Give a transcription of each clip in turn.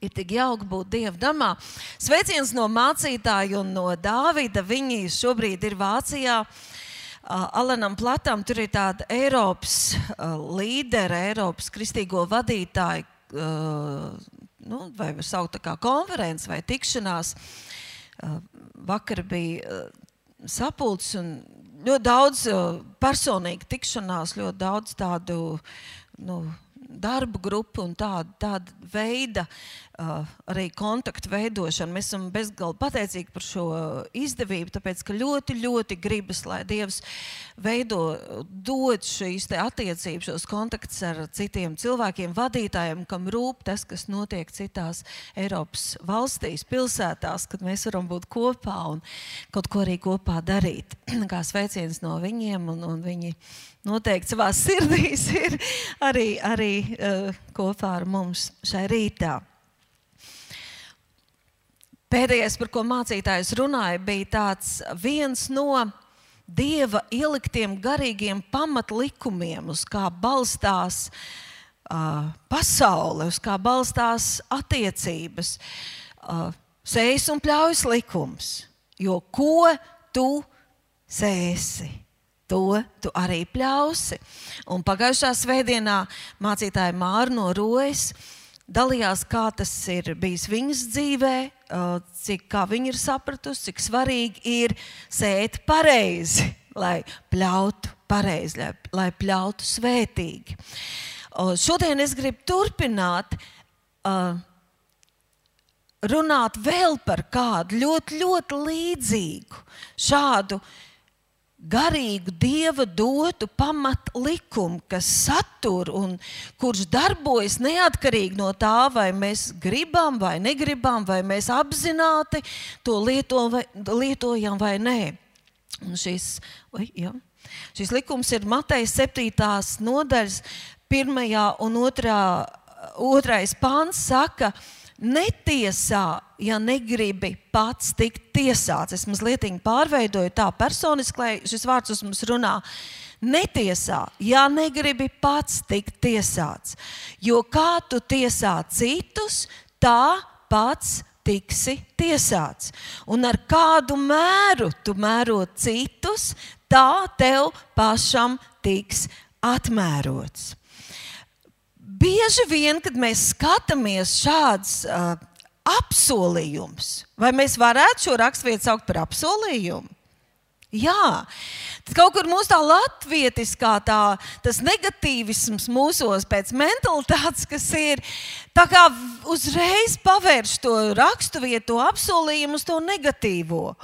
Ir tik jauki būt Dieva namā. Sveiciens no mācītāja un no Dāvida. Viņi šobrīd ir Vācijā. Alanam Platam tur ir tāda Eiropas līdera, Eiropas kristīgo vadītāju, vai var saukt tā kā konferences vai tikšanās. Vakar bija sapulcs un ļoti daudz personīgi tikšanās, ļoti daudz tādu, darba grupu un tāda veida arī kontaktu veidošanu. Mēs esam bezgalīgi pateicīgi par šo izdevību, tāpēc, ka ļoti, ļoti gribas, lai Dievs dod šīs te attiecības, šos kontaktus ar citiem cilvēkiem, vadītājiem, kam rūp tas, kas notiek citās Eiropas valstīs, pilsētās, kad mēs varam būt kopā un kaut ko arī kopā darīt. Kā sveiciens no viņiem un viņi noteikti savās sirdīs ir arī kopā ar mums šai rītā. Pēdējais, par ko mācītājs runāja, bija tāds viens no Dieva ieliktiem garīgiem pamatlikumiem, uz kā balstās pasaule, uz kā balstās attiecības. Sējas un pļaujas likums, jo ko tu sēsi, to tu arī pļausi. Un pagājušā svētdienā mācītāja Māra no Rojas dalījās, kā tas ir bijis viņas dzīvē, kā viņa ir sapratusi, cik svarīgi ir sēt pareizi, lai pļautu pareizi, lai pļautu svētīgi. Šodien es gribu turpināt runāt vēl par kādu ļoti, ļoti līdzīgu šādu garīgu Dieva dotu pamatlikumu, kas satur un kurš darbojas neatkarīgi no tā, vai mēs gribam vai negribam, vai mēs apzināti to lietojam vai nē. Un šis likums ir Mateja 7. nodaļas 1. un 2. pāns saka: netiesā, ja negribi pats tikt tiesāts. Es mazliet pārveidoju tā personiski, lai šis vārds uz mums runā. Netiesā, ja negribi pats tikt tiesāts. Jo kā tu tiesā citus, tā pats tiksi tiesāts. Un ar kādu mēru tu mēro citus, tā tev pašam tiks atmērots. Bieži vien, kad mēs skatāmies šāds apsolījums, vai mēs varētu šo raksturvietu saukt par apsolījumu? Jā, tad kaut kur mūsu tā latvietiskā tas negatīvisms mūsos pēc mentalitātes, kas ir, tā kā uzreiz pavērš to raksturvietu, to apsolījumu uz to negatīvo.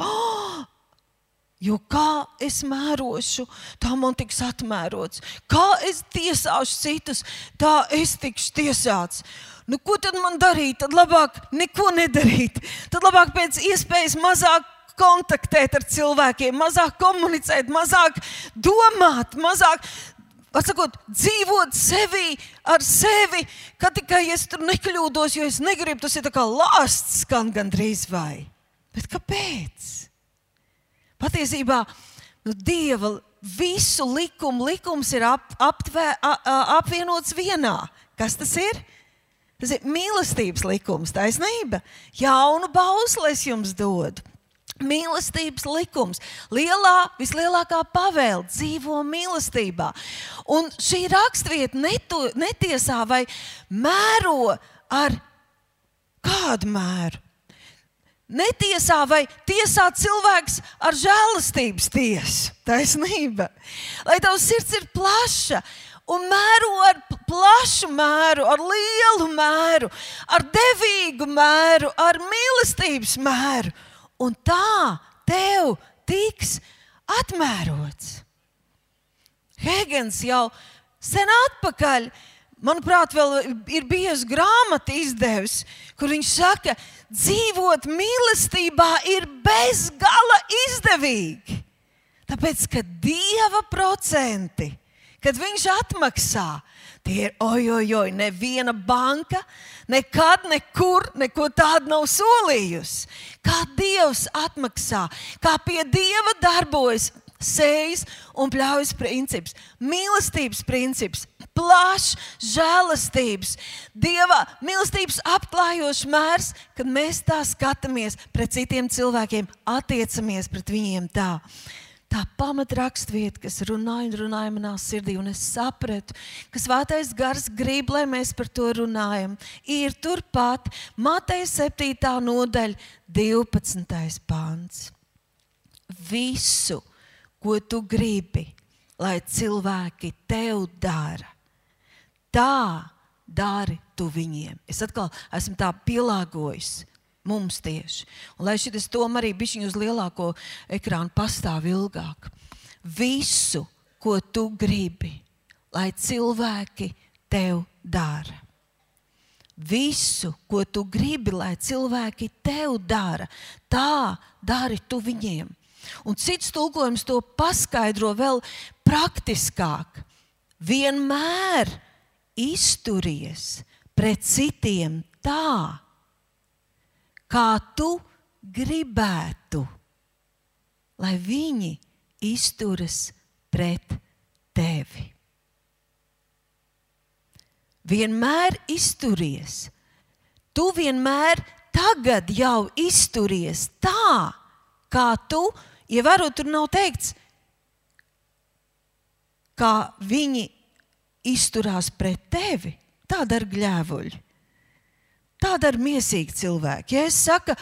Jo kā es mērošu, tā man tiks atmērots. Kā es tiesāšu citus, tā es tikšu tiesāts. Ko tad man darīt? Tad labāk neko nedarīt. Tad labāk pēc iespējas mazāk kontaktēt ar cilvēkiem, mazāk komunicēt, mazāk domāt, mazāk, dzīvot ar sevi, ka tikai es tur nekļūdos, jo es negribu, tas ir tā kā lāsts skan gandrīz vai. Bet kāpēc? Patiesībā Dieva visu likums ir apvienots vienā. Kas tas ir? Tas ir mīlestības likums, taisnība. Jaunu bausli es jums dodu. Mīlestības likums. Vislielākā pavēle dzīvo mīlestībā. Un šī raksturvieta netiesā vai mēro ar kādu mēru. Netiesā vai tiesā cilvēks ar žēlastības tiesu, taisnība. Lai tavs sirds ir plaša un mēro ar plašu mēru, ar lielu mēru, ar devīgu mēru, ar mīlestības mēru. Un tā tev tiks atmērots. Hēgens jau sen atpakaļ, manuprāt, vēl ir bijusi grāmata izdevis, kur viņš saka, dzīvot mīlestībā ir bezgala izdevīgi. Tāpēc, ka Dieva procenti, kad viņš atmaksā, tie ir neviena banka, nekad, nekur, neko tādu nav solījusi. Kā Dievs atmaksā, kā pie Dieva darbojas sējas un pļaujas princips, mīlestības princips, plašs žēlastības, Dieva mīlestības apklājošs mērs, kad mēs tā skatāmies pret citiem cilvēkiem, attiecamies pret viņiem tā. Tā pamatrakstvieta, kas runāja manā sirdī, un es sapratu, ka Svētais Gars grib, lai mēs par to runājam, ir turpat Mateja 7. nodaļa, 12. pants. Visu, ko tu gribi, lai cilvēki tev dara, tā dari tu viņiem. Es atkal esmu tā pielāgojis. Mums tieši. Un lai šitas tom arī bišķiņ uz lielāko ekrānu pastāv ilgāk. Visu, ko tu gribi, lai cilvēki tev dara. Visu, ko tu gribi, lai cilvēki tev dara, tā dari tu viņiem. Un cits tulkojums to paskaidro vēl praktiskāk. Vienmēr izturies pret citiem tā, kā tu gribētu, lai viņi izturas pret tevi. Vienmēr izturies. Tu vienmēr tagad jau izturies tā, kā tu, ievērot, tur nav teikts, kā viņi izturās pret tevi. Tā dara gļēvuļi. Tā dara miesīgi cilvēki. Ja es saku,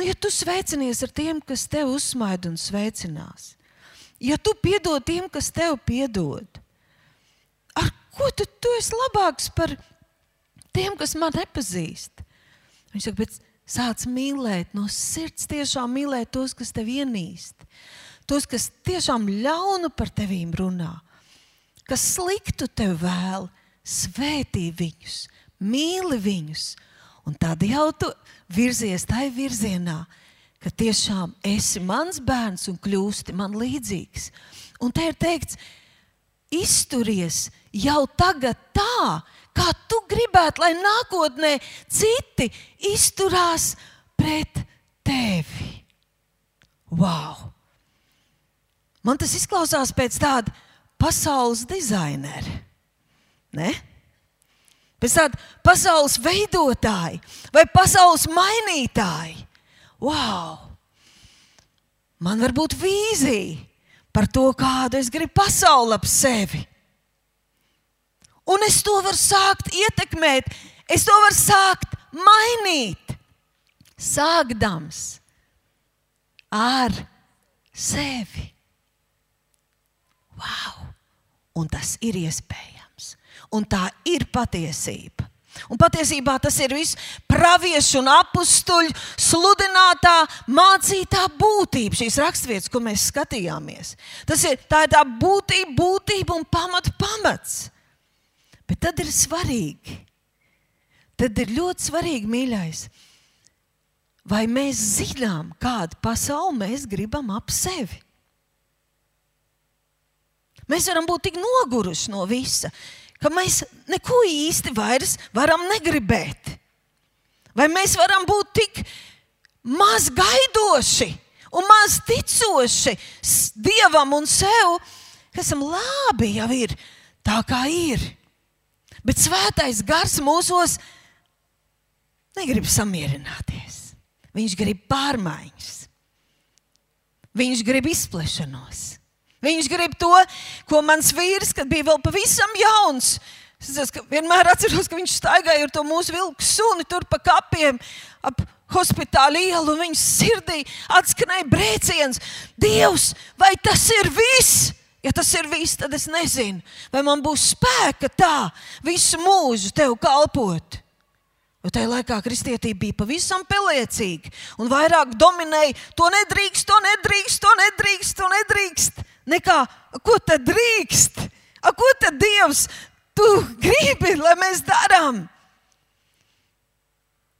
ja tu sveicinies ar tiem, kas tev uzsmaida un sveicinās, ja tu piedod tiem, kas tev piedod, ar ko tu esi labāks par tiem, kas man nepazīst? Viņš saka, bet sāc mīlēt, no sirds tiešām mīlēt tos, kas tev ienīst, tos, kas tiešām ļaunu par tevīm runā, kas sliktu tev vēl, svētī viņus, mīli viņus. Un tad jau tu virzies tai virzienā, ka tiešām esi mans bērns un kļūsti man līdzīgs. Un te ir teikts, izturies jau tagad tā, kā tu gribētu, lai nākotnē citi izturās pret tevi. Wow! Man tas izklausās pēc tāda pasaules dizainera, ne? Pēc tāda pasaules veidotāji vai pasaules mainītāji. Wow! Man var būt vīzija par to, kādu es gribu pasauli ap sevi. Un es to varu sākt ietekmēt, es to varu sākt mainīt, sākdams ar sevi. Wow! Un tas ir iespējams. Un tā ir patiesība. Un patiesībā tas ir viss praviešu un apustuļu sludinātā, mācītā būtība, šīs rakstvietas, ko mēs skatījāmies. Tā ir tā būtība un pamats. Bet tad ir svarīgi, tad ir ļoti svarīgi, mīļais, vai mēs zinām, kādu pasauli mēs gribam ap sevi. Mēs varam būt tik noguruši no visa, ka mēs neko īsti vairs varam negribēt. Vai mēs varam būt tik maz gaidoši un maz ticoši Dievam un sev, ka esam labi jau ir tā, kā ir. Bet Svētais Gars mūsos negrib samierināties. Viņš grib pārmaiņas. Viņš grib izplešanos. Viņš grib to, ko mans vīrs, kad bija vēl pavisam jauns. Es vienmēr atceros, ka viņš staigāja ar to mūsu vilku suni tur pa kapiem ap Hospitāla ielu, un viņas sirdī atskanēja brēciens. Dievs, vai tas ir viss? Ja tas ir viss, tad es nezinu, vai man būs spēka tā visu mūžu tev kalpot. Jo tajā laikā kristietība bija pavisam peliecīga un vairāk dominēja to nedrīkst, to nedrīkst, to nedrīkst, to nedrīkst. Nekā, ko tad drīkst? Ko tad Dievs tu gribi, lai mēs darām?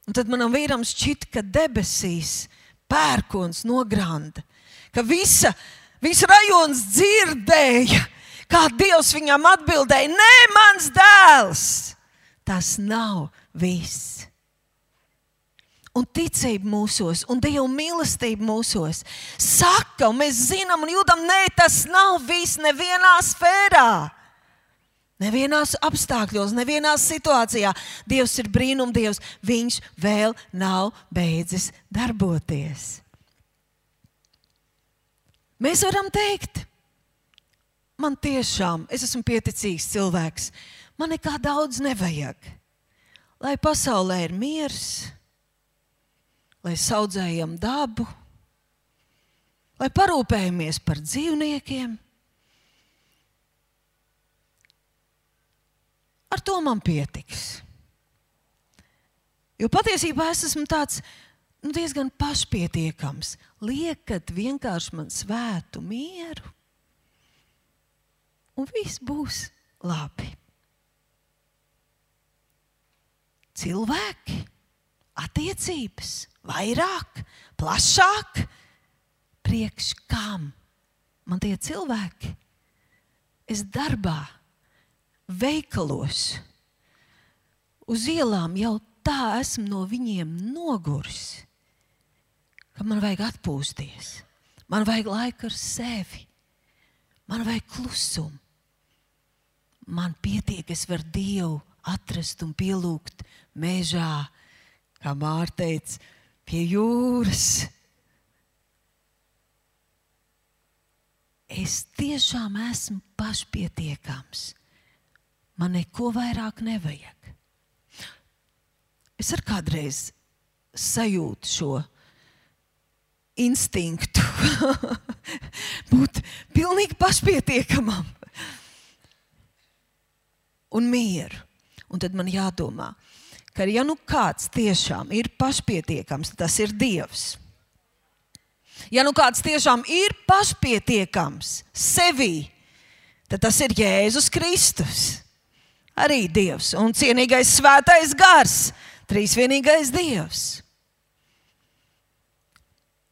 Un tad manam vīram šķita, ka debesīs pērkons nogranda, ka viss rajons dzirdēja, kā Dievs viņam atbildēja, nē, mans dēls, tas nav viss. Un ticība mūsos, un Dieva mīlestība mūsos saka, un mēs zinām un jūtam, nē, tas nav viss nevienā sfērā. Nevienās apstākļos, nevienās situācijā Dievs ir brīnumdievs. Viņš vēl nav beidzis darboties. Mēs varam teikt, man tiešām, es esmu pieticīgs cilvēks, man nekā daudz nevajag. Lai pasaulē ir miers, lai saudzējam dabu, lai parūpējamies par dzīvniekiem. Ar to man pietiks. Jo patiesībā es esmu tāds diezgan pašpietiekams. Liekat vienkārši man svētu mieru, un viss būs labi. Cilvēki, attiecības, vairāk, plašāk, priekš kam man tie cilvēki? Es darbā, veikalos, uz ielām jau tā esmu no viņiem noguris, ka man vajag atpūsties, man vajag laiku ar sevi, man vajag klusumu. Man pietiek, es varu Dievu atrast un pielūgt mežā, kā Māra teica, pie jūras. Es tiešām esmu pašpietiekams. Man neko vairāk nevajag. Es ar kādreiz sajūtu šo instinktu būt pilnīgi pašpietiekamam un mieru. Un tad man jādomā, ka ja nu kāds tiešām ir pašpietiekams, tas ir Dievs. Ja nu kāds tiešām ir pašpietiekams sevī, tad tas ir Jēzus Kristus. Arī Dievs un cienīgais svētais gars, trīsvienīgais Dievs.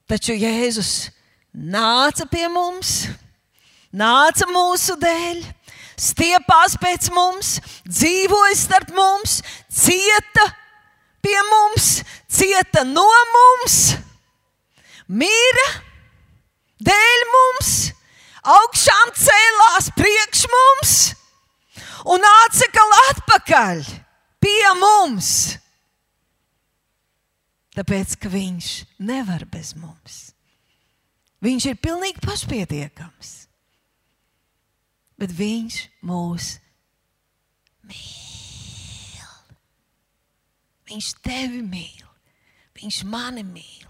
Taču Jēzus nāca pie mums, nāca mūsu dēļ, stiepās pēc mums, dzīvoja starp mums, cieta pie mums, cieta no mums, mira dēļ mums, augšām cēlās priekš mums un atsekal atpakaļ pie mums. Tāpēc, ka viņš nevar bez mums. Viņš ir pilnīgi pašpietiekams. Bet viņš mūs mīl. Viņš tevi mīl. Viņš mani mīl.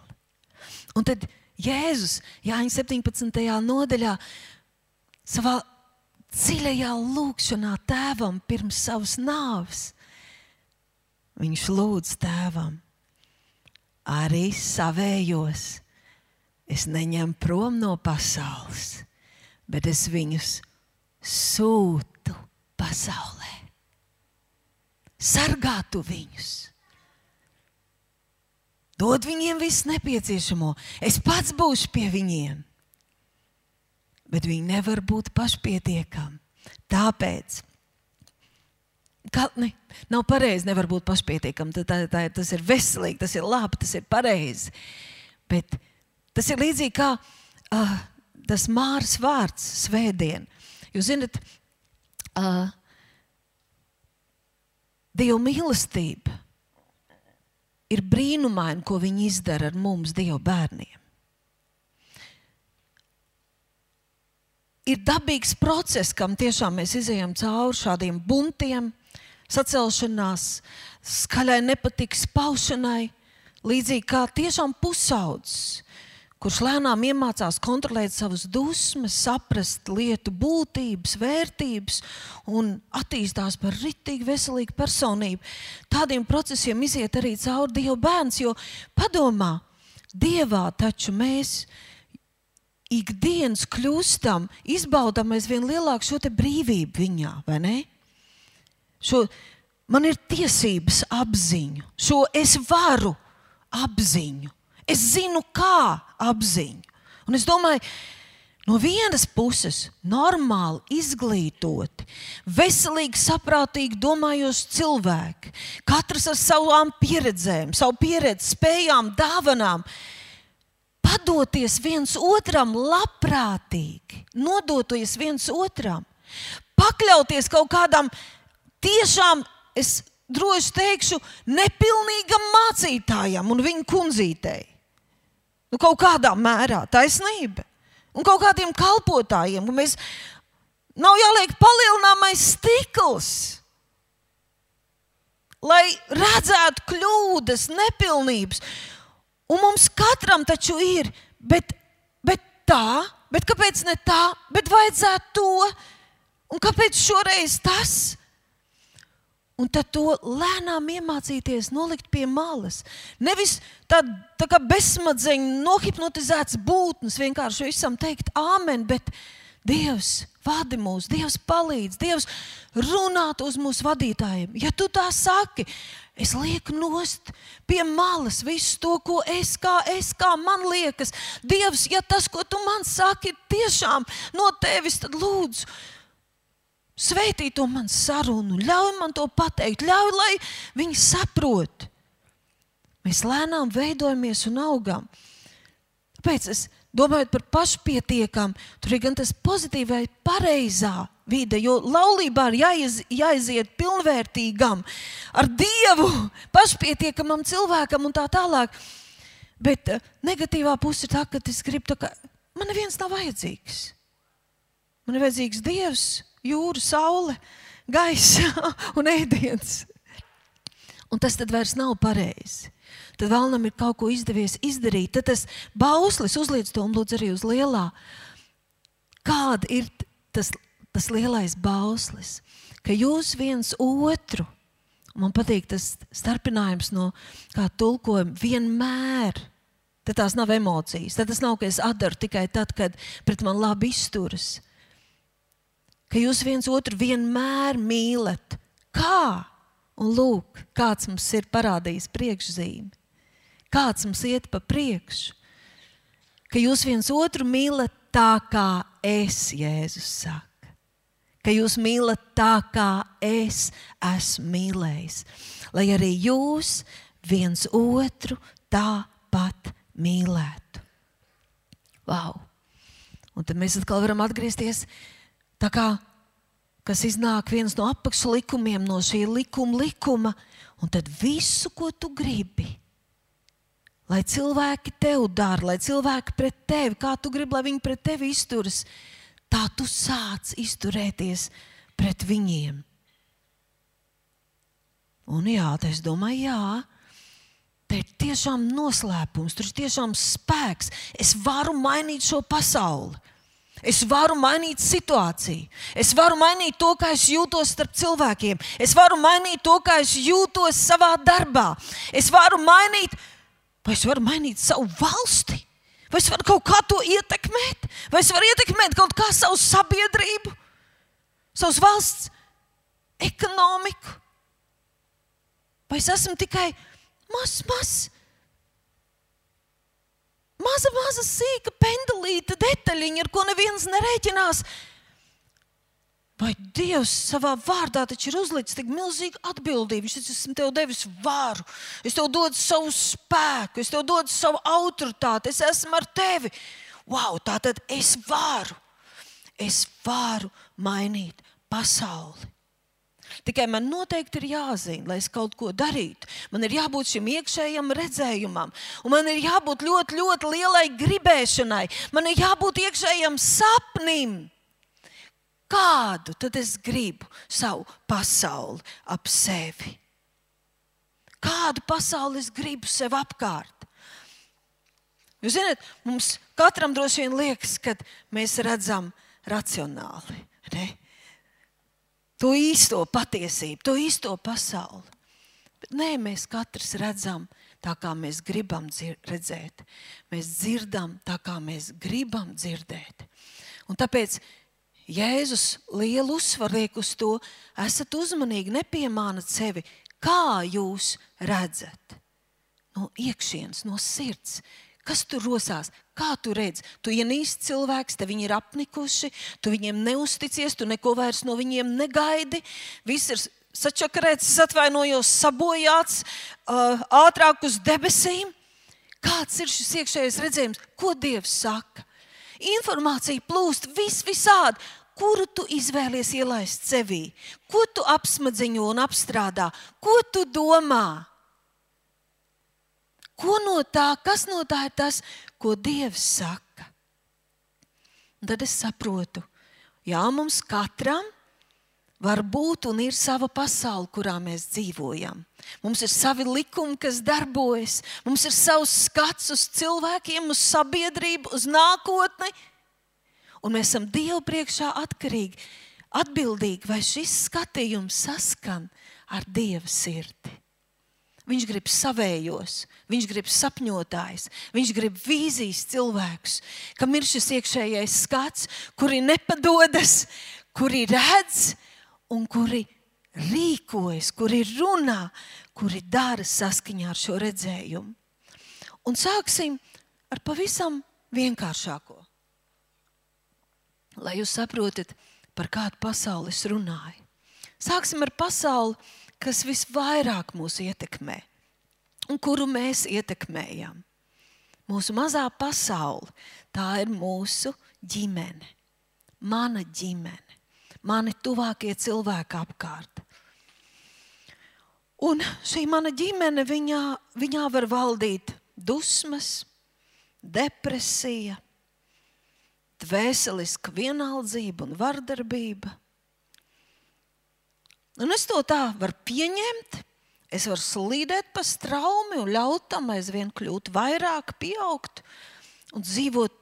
Un tad Jēzus, Jāņa 17. nodaļā, savā dziļajā lūgšanā tēvam pirms savas nāves, viņš lūdz tēvam, arī savējos es neņemu prom no pasaules, bet es viņus sūtu pasaulē. Sargātu viņus. Dod viņiem visu nepieciešamo. Es pats būšu pie viņiem. Bet viņi nevar būt pašpietiekami. Tāpēc, nav pareizi, nevar būt pašpietiekami. Tas ir veselīgi, tas ir labi, tas ir pareizi. Bet tas ir līdzīgi kā tas Māras vārds svētdien. Jūs zināt, Dieva mīlestība ir brīnumaina, ko viņi izdara ar mums, Dieva bērniem. Ir dabīgs process, kam tiešām mēs izejam cauri šādiem buntiem, sacelšanās, skaļai nepatikas paušanai, līdzīgi kā tiešām pusaudzis, kurš lēnām iemācās kontrolēt savas dusmas, saprast lietu būtības, vērtības un attīstās par ritīgi veselīgu personību. Tādiem procesiem iziet arī cauri Dieva bērns, jo padomā, Dievā taču mēs ikdienas kļūstam, izbaudam aizvien lielāku šo te brīvību viņā, vai ne? Man ir tiesības apziņu, šo es varu apziņu. Es zinu, kā apziņu. Un es domāju, no vienas puses normāli izglītoti, veselīgi, saprātīgi domājoši cilvēki, katrs ar savām pieredzēm, savu pieredzi, spējām, dāvanām, padoties viens otram labprātīgi, nodoties viens otram, pakļauties kaut kādam tiešām, es droši teikšu, nepilnīgam mācītājam un viņa kundzītei. Kaut kādā mērā taisnība. Un kaut kādiem kalpotājiem. Mēs nav jāliek palielināmais stikls, lai redzētu kļūdas, nepilnības. Un mums katram taču ir, bet kāpēc ne tā, bet vajadzētu to, un kāpēc šoreiz tas? Un tad to lēnām iemācīties nolikt pie malas. Nevis tā kā bezsmadzeņu nohipnotizēts būtnes, vienkārši visam teikt āmen, bet Dievs vadi mūs, Dievs palīdz, Dievs runāt uz mūsu vadītājiem. Ja tu tā saki, es lieku nost pie malas visu to, ko kā man liekas. Dievs, ja tas, ko tu man saki, tiešām no tevis, tad lūdzu, svētī to man sarunu, ļauj man to pateikt, ļauj, lai viņi saprot. Mēs lēnām veidojamies un augam. Tāpēc es domājot par pašpietiekam, tur ir gan tas pozitīvai pareizā vide, jo laulībā ir jāiziet pilnvērtīgam, ar Dievu, pašpietiekamam cilvēkam un tā tālāk. Bet negatīvā puse ir tā, ka es gribu, ka man neviens nav vajadzīgs. Man ir vajadzīgs Dievs, jūra, saule, gaisa un ēdiens. Un tas tad vairs nav pareizi. Tad vēlnam ir kaut ko izdevies izdarīt. Tad tas bauslis, uzliec to un lūdzu arī uz lielā. Kāda ir tas lielais bauslis? Ka jūs viens otru, man patīk tas starpinājums no kā tulkojuma, vienmēr. Tad tās nav emocijas. Tad tas nav, ka es atdaru tikai tad, kad pret man labi izturas. Ka jūs viens otru vienmēr mīlat. Kā? Un lūk, kāds mums ir parādījis priekšzīmi. Kāds mums iet pa priekšu. Ka jūs viens otru mīlat tā, kā es, Jēzus saka. Ka jūs mīlat tā, kā es esmu mīlējis. Lai arī jūs viens otru tāpat mīlētu. Vau! Un tad mēs atkal varam atgriezties tā kā, kas iznāk viens no apakšlikumiem, no šī likuma, un tad visu, ko tu gribi, lai cilvēki tev dara, lai cilvēki pret tevi, kā tu gribi, lai viņi pret tevi izturas, tā tu sāc izturēties pret viņiem. Un jā, es domāju, te ir tiešām noslēpums, tur ir tiešām spēks. Es varu mainīt šo pasauli. Es varu mainīt situāciju. Es varu mainīt to, kā es jūtos starp cilvēkiem. Es varu mainīt to, kā es jūtos savā darbā. Es varu mainīt, vai es varu mainīt savu valsti? Vai es varu kaut kā to ietekmēt? Vai es varu ietekmēt kaut kā savu sabiedrību? Savas valsts ekonomiku? Vai es esmu tikai maza sīka pendelīta detaļiņa, ar ko neviens nerēķinās. Vai Dievs savā vārdā taču ir uzlicis tik milzīgu atbildību. Viņš esmu tev devis varu. Es tev dodu savu spēku. Es tev dodu savu autoritāti. Es esmu ar tevi. Wow, tātad es varu mainīt pasauli. Tikai man noteikti ir jāzina, lai es kaut ko darītu. Man ir jābūt šim iekšējam redzējumam. Un man ir jābūt ļoti, ļoti lielai gribēšanai. Man ir jābūt iekšējam sapnim. Kādu tad es gribu savu pasauli ap sevi? Kādu pasauli es gribu sev apkārt? Jūs zināt, mums katram droši vien liekas, kad mēs redzam racionāli, ne? To īsto patiesību, to īsto pasauli. Bet nē, mēs katrs redzam tā, kā mēs gribam redzēt. Mēs dzirdam tā, kā mēs gribam dzirdēt. Un tāpēc Jēzus lielu uzsvaru liek uz to, esat uzmanīgi, nepiemānat sevi, kā jūs redzat. No iekšienes, no sirds. Kas tur rosās? Kā tu redzi? Tu ienīsti cilvēks, te viņi ir apnikuši, tu viņiem neusticies, tu neko vairs no viņiem negaidi. Viss ir sačakarēts, es atvainojos, sabojāts, ātrāk uz debesīm. Kāds ir šis iekšējais redzējums? Ko Dievs saka? Informācija plūst visādi. kuru tu izvēlies ielaist sevī, ko tu apsmadziņo un apstrādā, ko tu domā. Kas no tā ir tas, ko Dievs saka? Un tad es saprotu, jā, mums katram var būt un ir sava pasaule, kurā mēs dzīvojam. Mums ir savi likumi, kas darbojas. Mums ir savs skats uz cilvēkiem, uz sabiedrību, uz nākotni. Un mēs esam Dievu priekšā atbildīgi, vai šis skatījums saskan ar Dieva sirdi. Viņš grib savējos, viņš grib sapņotājs, viņš grib vīzijas cilvēkus, kam ir šis iekšējais skats, kuri nepadodas, kuri redz un kuri rīkojas, kuri runā, kuri dara saskaņā ar šo redzējumu. Un sāksim ar pavisam vienkāršāko. Lai jūs saprotat, par kādu pasauli es runāju. Sāksim ar pasauli, kas visvairāk mūs ietekmē un kuru mēs ietekmējam. Mūsu mazā pasaule, tā ir mūsu ģimene, mana ģimene, mani tuvākie cilvēki apkārt. Un šī mana ģimene, viņā var valdīt dusmas, depresija, dvēseliska vienaldzība un vardarbība. Un es to tā varu pieņemt, es varu slīdēt pa straumi un ļaut tam aizvien kļūt vairāk, pieaugt un dzīvot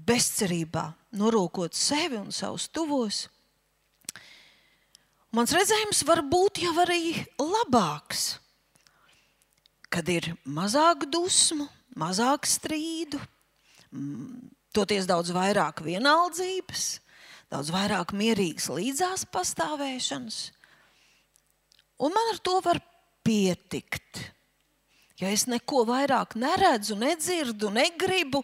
bezcerībā, norokot sevi un savus tuvos. Mans redzējums var būt jau arī labāks, kad ir mazāk dusmu, mazāk strīdu, toties daudz vairāk vienaldzības, daudz vairāk mierīgas līdzās pastāvēšanas. Un man ar to var pietikt. Ja es neko vairāk neredzu, nedzirdu, negribu,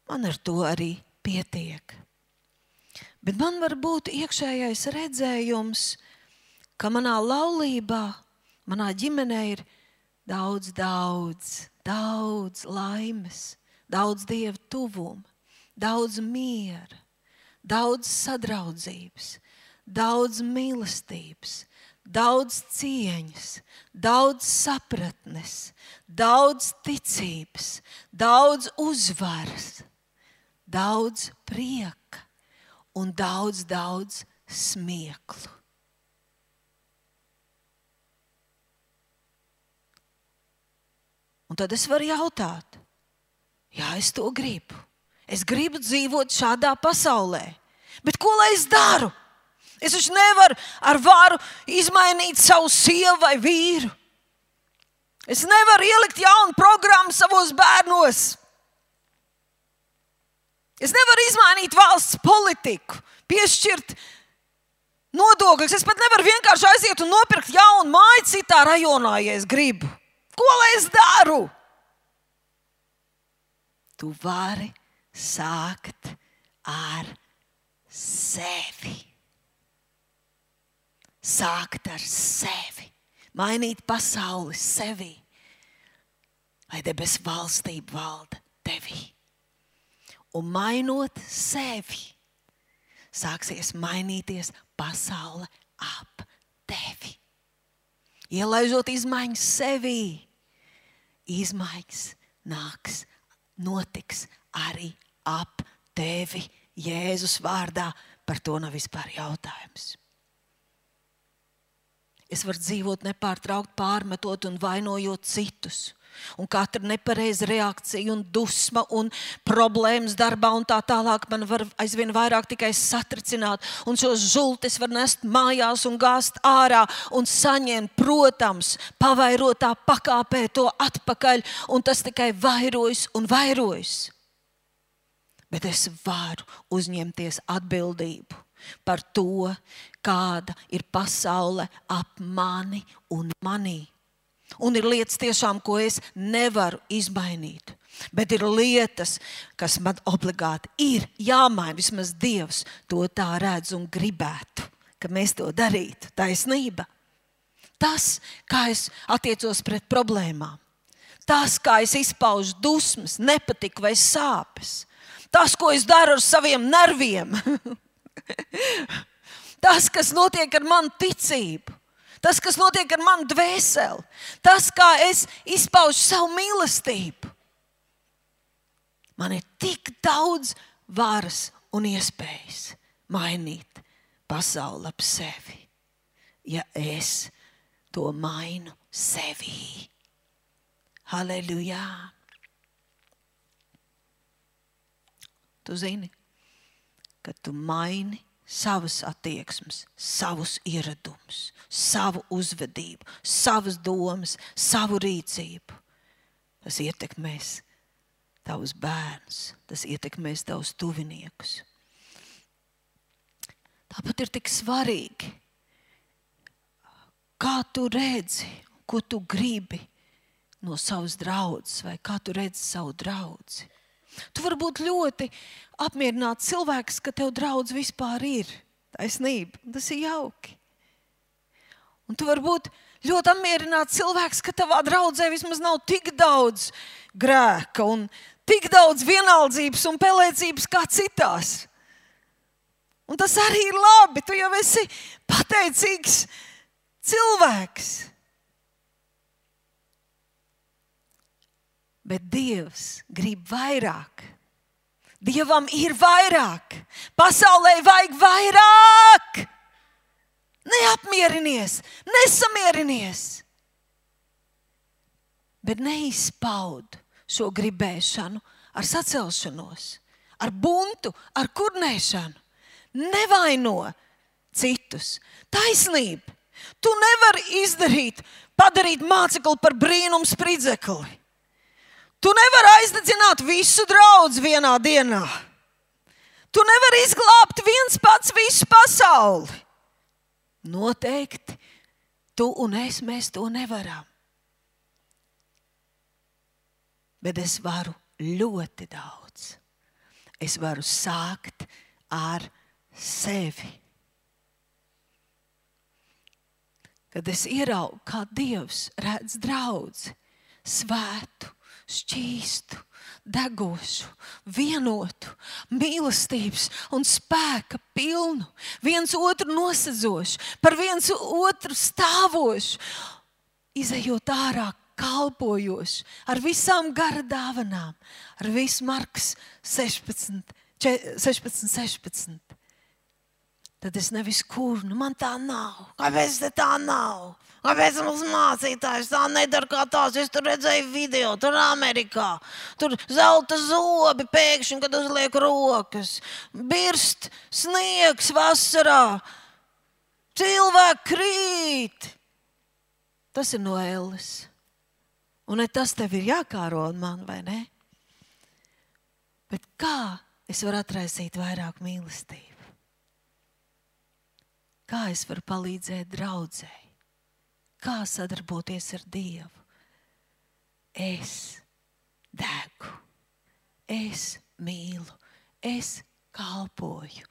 man ar to arī pietiek. Bet man var būt iekšējais redzējums, ka manā laulībā, manā ģimenē ir daudz laimes, daudz Dieva tuvuma, daudz miera, daudz sadraudzības, daudz mīlestības, daudz cieņas, daudz sapratnes, daudz ticības, daudz uzvaras, daudz prieka un daudz smieklu. Un tad es varu jautāt, jā, es to gribu. Es gribu dzīvot šādā pasaulē, bet ko lai es daru? Es taču nevaru ar varu izmainīt savu sievu vai vīru. Es nevaru ielikt jaunu programmu savos bērnos. Es nevaru izmainīt valsts politiku, piešķirt nodokļus. Es pat nevaru vienkārši aiziet un nopirkt jaunu māju citā rajonā, ja es gribu. Ko lai es daru? Tu vari sākt ar sevi. Sākt ar sevi, mainīt pasauli sevi, lai debesu valstība valda tevī. Un mainot sevi, sāksies mainīties pasaule ap tevi. Ielaižot izmaiņas sevī, izmaiņas notiks arī ap tevi. Jēzus vārdā, par to nav vispār jautājums. Es varu dzīvot nepārtraukt pārmetot un vainojot citus. Un katra nepareiza reakcija un dusma un problēmas darbā un tā tālāk man var aizvien vairāk tikai satricināt. Un šos žultes var nest mājās un gāzt ārā un saņemt, protams, pavairotā pakāpē to atpakaļ. Un tas tikai vairojas un vairojas. Bet es varu uzņemties atbildību par to, kāda ir pasaule ap mani un manī. Un ir lietas tiešām, ko es nevaru izmainīt. Bet ir lietas, kas man obligāti ir jāmaina. Vismaz Dievs to tā redz un gribētu, ka mēs to darītu. Taisnība. Tas, kā es attiecos pret problēmām. Tas, kā es izpaužu dusmas, nepatiku vai sāpes. Tas, ko es daru ar saviem nerviem. Tas, kas notiek ar manu ticību, tas, kas notiek ar manu dvēseli, tas, kā es izpaužu savu mīlestību. Man ir tik daudz varas un iespējas mainīt pasauli ap sevi, ja es to mainu sevī. Halleluja! Tu zini, ka tu maini savas attieksmes, savus ieradumus, savu uzvedību, savas domas, savu rīcību. Tas ietekmēs tavus bērnus, tas ietekmēs tavus tuviniekus. Tāpat ir tik svarīgi, kā tu redzi, ko tu gribi no savas draudzes, vai kā tu redzi savu draudzi. Tu vari būt ļoti apmierināts cilvēks, ka tev draudz vispār ir. Taisnība, tas ir jauki. Un tu vari būt ļoti apmierināts cilvēks, ka tavā draudzē vismaz nav tik daudz grēka un tik daudz vienaldzības un pelēcības kā citās. Un tas arī ir labi, tu jau esi pateicīgs cilvēks. Bet Dievs grib vairāk. Dievam ir vairāk. Pasaulē vajag vairāk. Neapmierinies, nesamierinies. Bet neizpaud šo gribēšanu ar sacelšanos, ar buntu, ar kurnēšanu. Nevaino citus. Taisnība. Tu nevari padarīt mācekli par brīnumu spridzekli. Tu nevari aizdedzināt visu draudzi vienā dienā. Tu nevari izglābt viens pats visu pasauli. Noteikti tu un es, mēs to nevaram. Bet es varu ļoti daudz. Es varu sākt ar sevi. Kad es ieraugu, kā Dievs redz draudzi, svētu, šķīstu, degošu, vienotu, mīlestības un spēka pilnu, viens otru nosedzošu, par viens otru stāvošu, izejot ārā kalpojoši, ar visām gara dāvanām, ar visu Marks 16. Tad es nevis kurnu, man tā nav. Kāpēc tā nav? Kāpēc mums mācītājs tā nedara kā tās? Es tur redzēju video, tur Amerikā. Tur zelta zobi pēkšņi, kad uzliek rokas. Birst sniegs vasarā. Cilvēki krīt. Tas ir no elles. Un tas tev ir jākāro un man, vai ne? Bet kā es varu atraisīt vairāk mīlestību? Kā es varu palīdzēt draudzei? Kā sadarboties ar Dievu? Es degu, es mīlu, es kalpoju,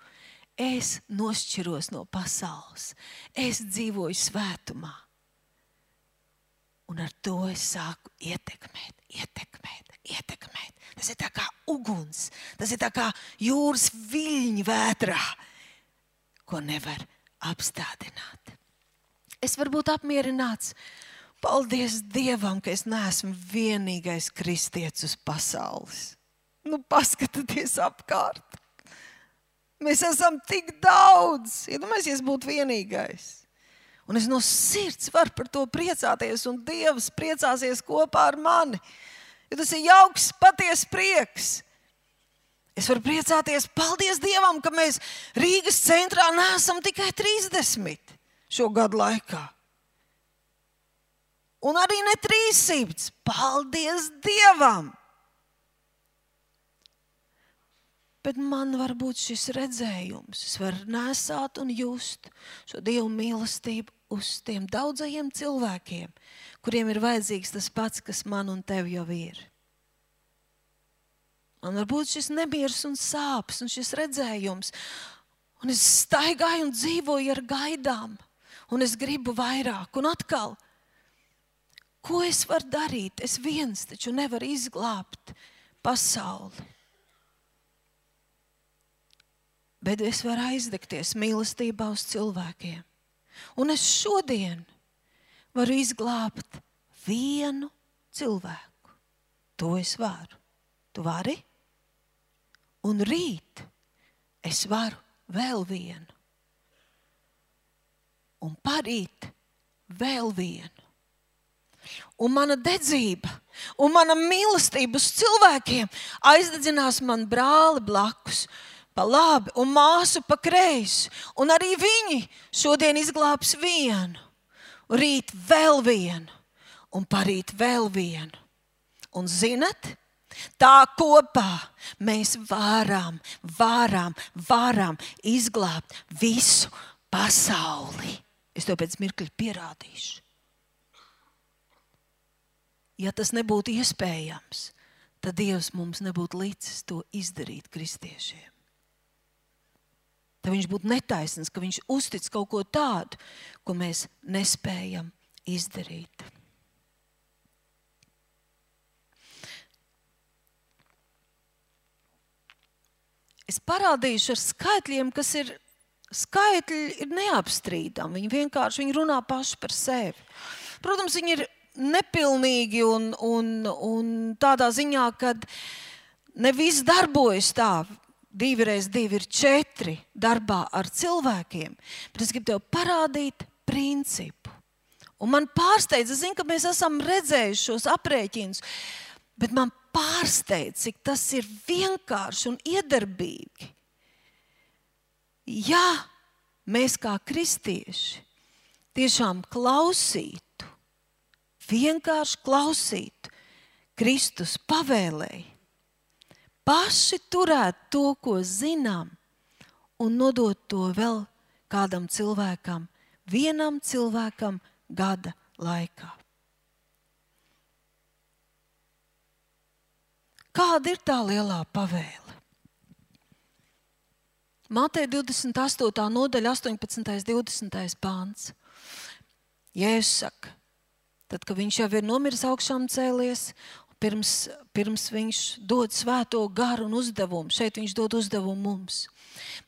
es nošķiros no pasaules, es dzīvoju svētumā. Un ar to es sāku ietekmēt. Tas ir tā kā uguns, tas ir tā kā jūras viļņi vētrā, ko nevar apstādināt. Es varu būt apmierināts. Paldies Dievam, ka es neesmu vienīgais kristietis uz pasaules. Paskatieties apkārt. Mēs esam tik daudz. Iedomājieties, būt vienīgais. Un es no sirds varu par to priecāties, un Dievs priecāsies kopā ar mani. Jo tas ir jauks, patiess prieks. Es varu priecāties, paldies Dievam, ka mēs Rīgas centrā neesam tikai 30 šo gadu laikā. Un arī ne 300. Paldies Dievam! Bet man var būt šis redzējums. Es varu nesāt un just šo Dievu mīlestību uz tiem daudzajiem cilvēkiem, kuriem ir vajadzīgs tas pats, kas man un tev jau ir. Man var būt šis nemieris un sāpes un šis redzējums. Un es staigāju un dzīvoju ar gaidām. Un es gribu vairāk. Un atkal, ko es varu darīt? Es viens taču nevaru izglābt pasauli. bet es varu aizdegties mīlestībā uz cilvēkiem. Un es šodien varu izglābt vienu cilvēku. To es varu. Tu vari? Un rīt es varu vēl vienu. Un parīt vēl vienu. Un mana dedzība un mana mīlestība uz cilvēkiem aizdedzinās man brāli blakus pa labi un māsu pa kreisi. Un arī viņi šodien izglābs vienu. Rīt vēl vienu. Un parīt vēl vienu. Un zinat, tā kopā mēs varam izglābt visu pasauli. Es to pēc mirkļa pierādīšu. Ja tas nebūtu iespējams, tad Dievs mums nebūtu licis to izdarīt kristiešiem. Tad viņš būtu netaisnīgs, ka viņš uztic kaut ko tādu, ko mēs nespējam izdarīt. Es parādīšu ar skaitļiem, kas ir neapstrīdami. Viņi runā paši par sevi. Protams, viņi ir nepilnīgi un tādā ziņā, kad ne viss darbojas tā. 2x2 ir 4 darbā ar cilvēkiem. Bet es gribu tev parādīt principu. Un man pārsteidz, es zinu, ka mēs esam redzējuši šos aprēķinus, bet man pārsteidz, cik tas ir vienkārši un iedarbīgi. Ja mēs kā kristieši tiešām klausītu, vienkārši klausītu Kristus pavēlēji, paši turētu to, ko zinām, un nodot to vēl kādam cilvēkam, vienam cilvēkam gada laikā. Kāda ir tā lielā pavēle? Mateja 28. nodaļa, 18. 20. pāns. Jēzus saka, tad, kad viņš jau ir nomiris augšām cēlies, pirms viņš dod svēto garu un uzdevumu, šeit viņš dod uzdevumu mums.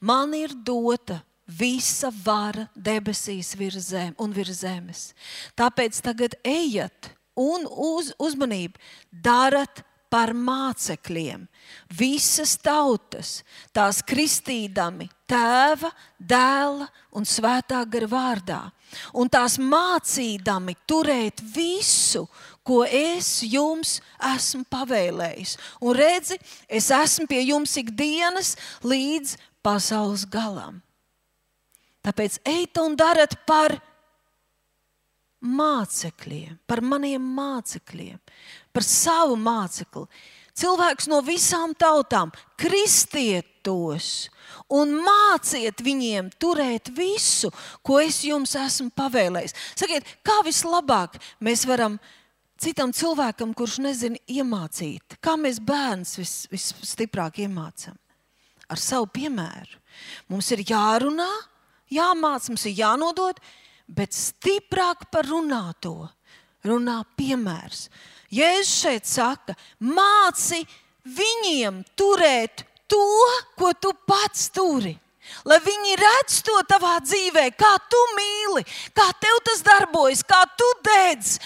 Man ir dota visa vara debesīs virs zemes. Tāpēc tagad ejiet un uzmanību darat par mācekļiem visas tautas, tās kristīdami Tēva, Dēla un Svētā gara vārdā, un tās mācīdami turēt visu, ko es jums esmu pavēlējis. Un redzi, es esmu pie jums ikdienas līdz pasaules galam. Tāpēc ejiet un darat par mācekļiem, par maniem mācekļiem, par savu mācekli. Cilvēks no visām tautām, kristiet tos un māciet viņiem turēt visu, ko es jums esmu pavēlējis. Sakiet, kā vislabāk mēs varam citam cilvēkam, kurš nezina iemācīt, kā mēs bērns visstiprāk iemācam? Ar savu piemēru. Mums ir jārunā, jāmāc, mums ir jānodod, bet stiprāk par runāto runā piemērs. Jēzus šeit saka, māci viņiem turēt to, ko tu pats turi. Lai viņi redz to tavā dzīvē, kā tu mīli, kā tev tas darbojas, kā tu dedz,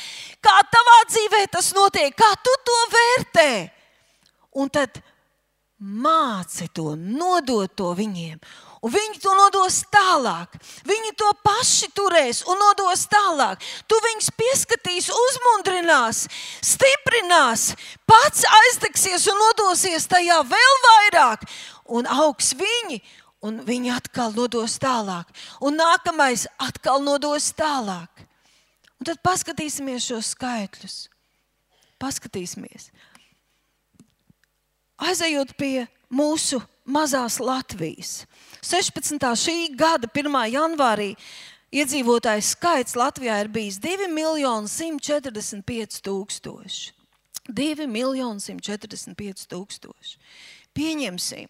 kā tavā dzīvē tas notiek, kā tu to vērtē. Un tad māci to, nodod to viņiem. Un viņi to nodos tālāk. Viņi to paši turēs un nodos tālāk. Tu viņus pieskatīs, uzmundrinās, stiprinās, pats aizdegsies un nodosies tajā vēl vairāk. Un augs viņi, un viņi atkal nodos tālāk. Un nākamais atkal nodos tālāk. Un tad paskatīsimies šos skaitļus. Paskatīsimies. Aizejot pie mūsu mazās Latvijas. 16. šī gada 1. janvārī iedzīvotājs skaits Latvijā ir bijis 2.145.000. 2.145.000. Pieņemsim,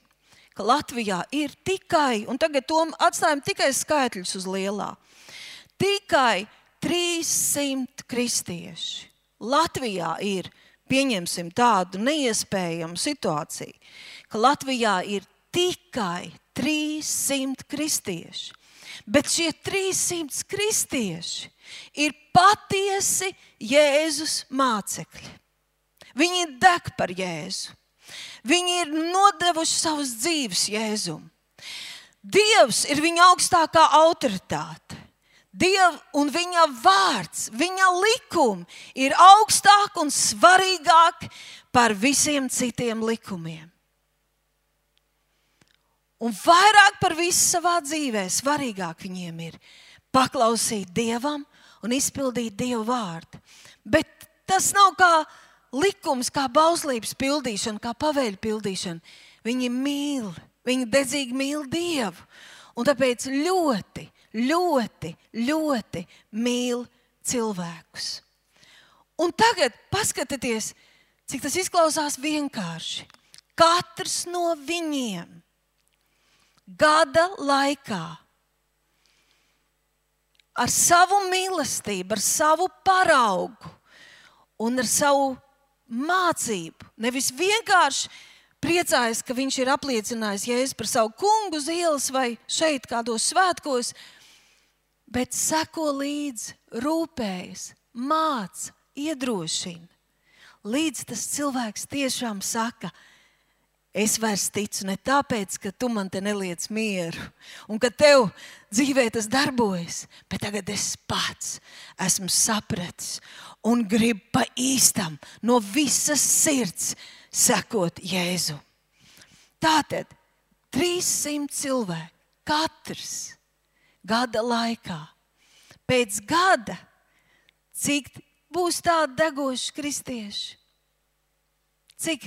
ka Latvijā ir tikai, un tagad to atstājam tikai skaitļus uz lielā, tikai 300 kristieši. Latvijā ir, pieņemsim tādu neiespējamu situāciju, ka Latvijā ir tikai 300 kristieši. Bet šie 300 kristieši ir patiesi Jēzus mācekļi. Viņi deg par Jēzu. Viņi ir nodevuši savus dzīves Jēzum. Dievs ir viņa augstākā autoritāte. Dieva un viņa vārds, viņa likumi ir augstāk un svarīgāk par visiem citiem likumiem. Un vairāk par visu savā dzīvē svarīgāk viņiem ir paklausīt Dievam un izpildīt Dieva vārdu. Bet tas nav kā likums, kā bauslības pildīšana, kā pavēļu pildīšana. Viņi mīl, viņi dedzīgi mīl Dievu. Un tāpēc ļoti, ļoti, ļoti mīl cilvēkus. Un tagad paskatieties, cik tas izklausās vienkārši. Katrs no viņiem gada laikā ar savu mīlestību, ar savu paraugu un ar savu mācību, nevis vienkārši priecājas, ka viņš ir apliecinājis Jēzu par savu kungu uz ielas vai šeit kādos svētkos, bet seko līdzi, rūpējas, māca, iedrošina. Līdz tas cilvēks tiešām saka, es vairs ticu ne tāpēc, ka tu man te neliec mieru un ka tev dzīvē tas darbojas, bet tagad es pats esmu sapratis un gribu pa īstam no visas sirds sekot Jēzu. Tātad 300 cilvēki, katrs gada laikā. Pēc gada, cik būs tādi degoši kristieši? Cik?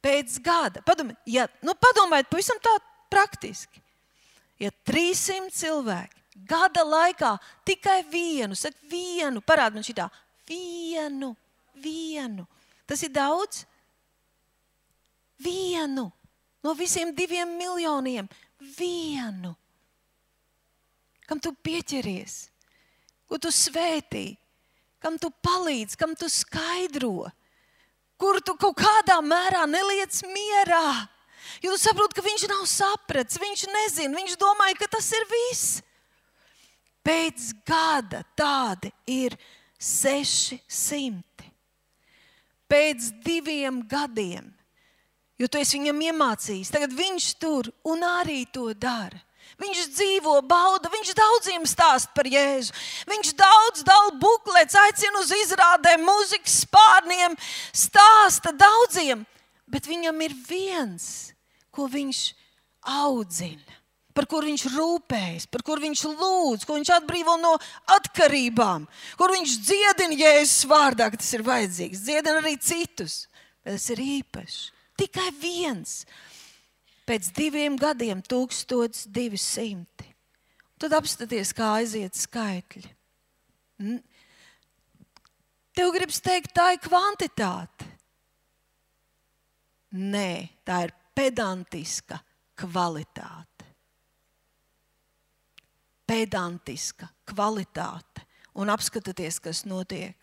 Pēc gada. Padomājiet pavisam tā praktiski. Ja 300 cilvēki gada laikā tikai vienu, parāda man šitā, vienu. Tas ir daudz? Vienu. No visiem 2 miljoniem. Vienu. Kam tu pieķeries? Ko tu svētī? Kam tu palīdz? Kam tu skaidro? Kur tu kaut kādā mērā neliec mierā. Jo tu saproti, ka viņš nav sapratis, viņš nezina, viņš domāja, ka tas ir viss. Pēc gada tādi ir 600. Pēc 2 gadiem, jo tu esi viņam iemācījis, tagad viņš tur un arī to dara. Viņš dzīvo, bauda, viņš daudziem stāst par Jēzu. Viņš daudz dala buklets, aicina uz izrādēm, mūzikas spārniem, stāsta daudziem. Bet viņam ir viens, ko viņš audzina, par kur viņš rūpējas, par kur viņš lūdz, ko viņš atbrīvo no atkarībām, kur viņš dziedina Jēzus vārdā, ka tas ir vajadzīgs. Dziedina arī citus, bet tas ir īpašs. Tikai viens. Pēc 2 gadiem 1200. Tad apstaties, kā aiziet skaitļi. Tev gribas teikt, tā ir kvantitāte. Nē, tā ir pedantiska kvalitāte. Pedantiska kvalitāte. Un apskatieties, kas notiek.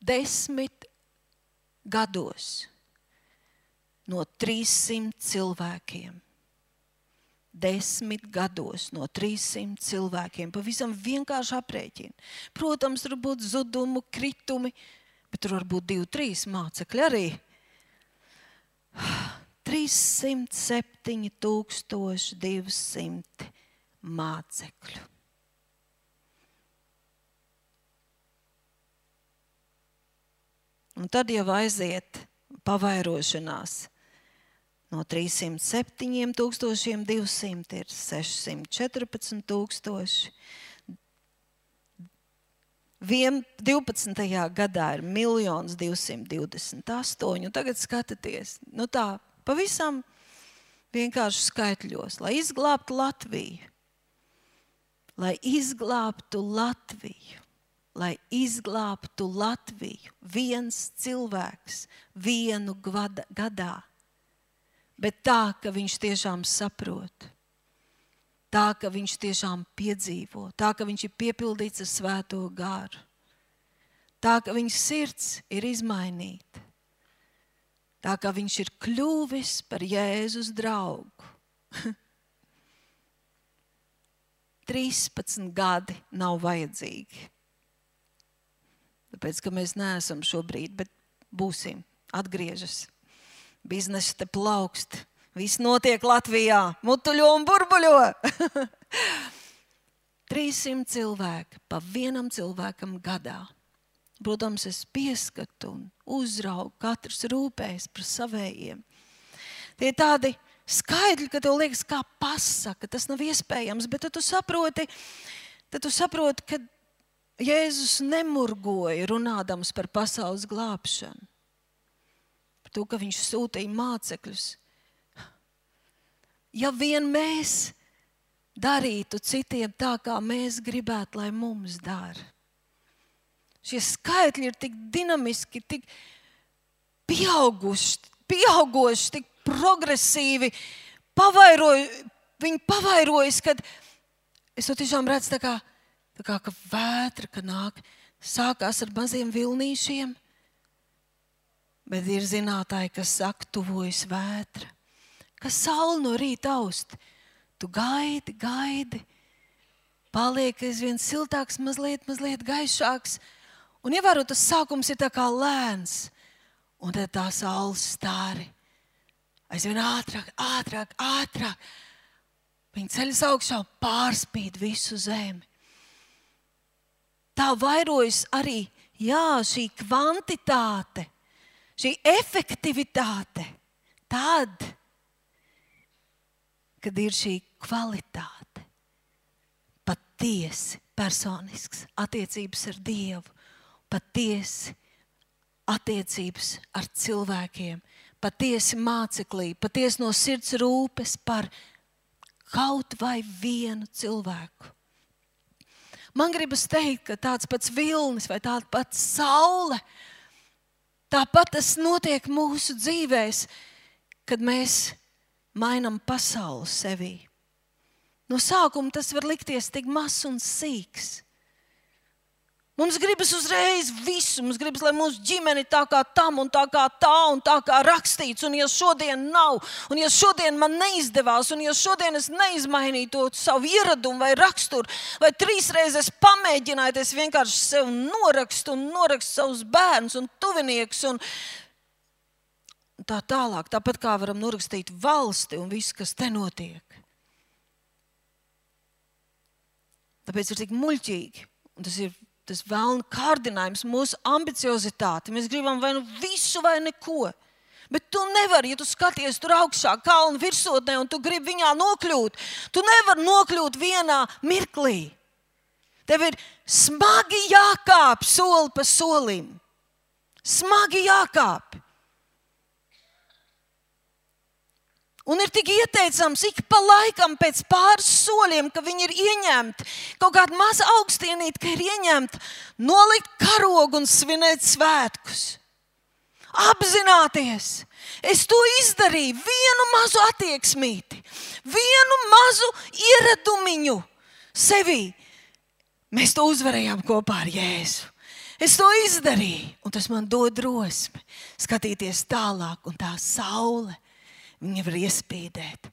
10 gados no 300 cilvēkiem. 10 gados no 300 cilvēkiem. Pavisam vienkārši aprēķini. Protams, tur būtu zudumu, kritumi, bet tur var būt 2-3 mācekļi arī. 307 200 mācekļu. Un tad jau aiziet pavairošanās. No 307 200 ir 614 000. 12. gadā ir 1 228. Un tagad skatieties, tā pavisam vienkārši skaitļos, lai izglābtu Latviju. Lai izglābtu Latviju, viens cilvēks, 1 gadā. Bet tā, ka viņš tiešām saprot, tā, ka viņš tiešām piedzīvo, tā, ka viņš ir piepildīts ar Svēto garu, tā, ka viņa sirds ir izmainīta. Tā kā viņš ir kļuvis par Jēzus draugu. 13 gadi nav vajadzīgi. Tāpēc, ka mēs neesam šobrīd, bet būsim, atgriežas. Biznesa te plaukst. Viss notiek Latvijā. Mutuļo un burbuļo. 300 cilvēki pa vienam cilvēkam gadā. Protams, es pieskatu un uzraugu, katrs rūpējas par savējiem. Tie tādi skaidri, ka tev liekas, kā pasaka, tas nav iespējams, bet tad tu saproti, ka Jēzus nemurgoja runādams par pasaules glābšanu. Par to, ka viņš sūtīja mācekļus. Ja vien mēs darītu citiem tā, kā mēs gribētu, lai mums dara. Šie skaitļi ir tik dinamiski, tik pieaugoši, tik progresīvi, viņi pavairojas, kad es to tiešām redzu tā kā ka vētra, ka nāk, sākās ar maziem vilnīšiem, bet ir zinātāji, kas saka, tuvojas vētra, ka saule no rīta aust, tu gaidi, paliek aizvien siltāks, mazliet gaišāks, un ievēro, tas sākums ir tā kā lēns, un tad tā saules stāri aizvien ātrāk. Viņi ceļas augšā un pārspīd visu zemi. Tā vairojas arī, šī kvantitāte, šī efektivitāte, tad, kad ir šī kvalitāte, patiesi personisks attiecības ar Dievu, patiesi attiecības ar cilvēkiem, patiesi māceklī, patiesi no sirds rūpes par kaut vai vienu cilvēku. Man gribas teikt, ka tāds pats vilnis vai tāda pats saule, tāpat tas notiek mūsu dzīvēs, kad mēs mainam pasauli sevī. No sākuma tas var likties tik mazs un sīks. Mums gribas uzreiz visu, mums gribas, lai mūsu ģimene tā kā tam un tā kā tā un tā kā rakstīts, un ja šodien nav, un ja šodien man neizdevās, un ja šodien es neizmainīju to savu ieradumu vai raksturu, vai 3 reizes pamēģināju, es vienkārši sev norakstu savus bērnus un tuviniekus un tā tālāk, tāpat kā varam norakstīt valsti un visu, kas te notiek. Tāpēc ir tik muļķīgi, un tas vēlna kārdinājums, mūsu ambiciozitāte. Mēs gribam vai nu visu vai neko. Bet tu nevari, ja tu skaties tur augšā kalnu virsotnē un tu gribi viņā nokļūt, tu nevari nokļūt vienā mirklī. Tev ir smagi jākāp soli pa solim. Smagi jākāp. Un ir tik ieteicams ik pa laikam pēc pāris soļiem, ka viņi ir ieņemti, kaut kāda maza augstienīte, ka ir ieņemta, nolikt karogu un svinēt svētkus. Apzināties, es to izdarīju, vienu mazu attieksmīti, vienu mazu ieradumiņu sevī. Mēs to uzvarējām kopā ar Jēzu. Es to izdarīju, un tas man dod drosmi skatīties tālāk, un tā saule, viņa var iespīdēt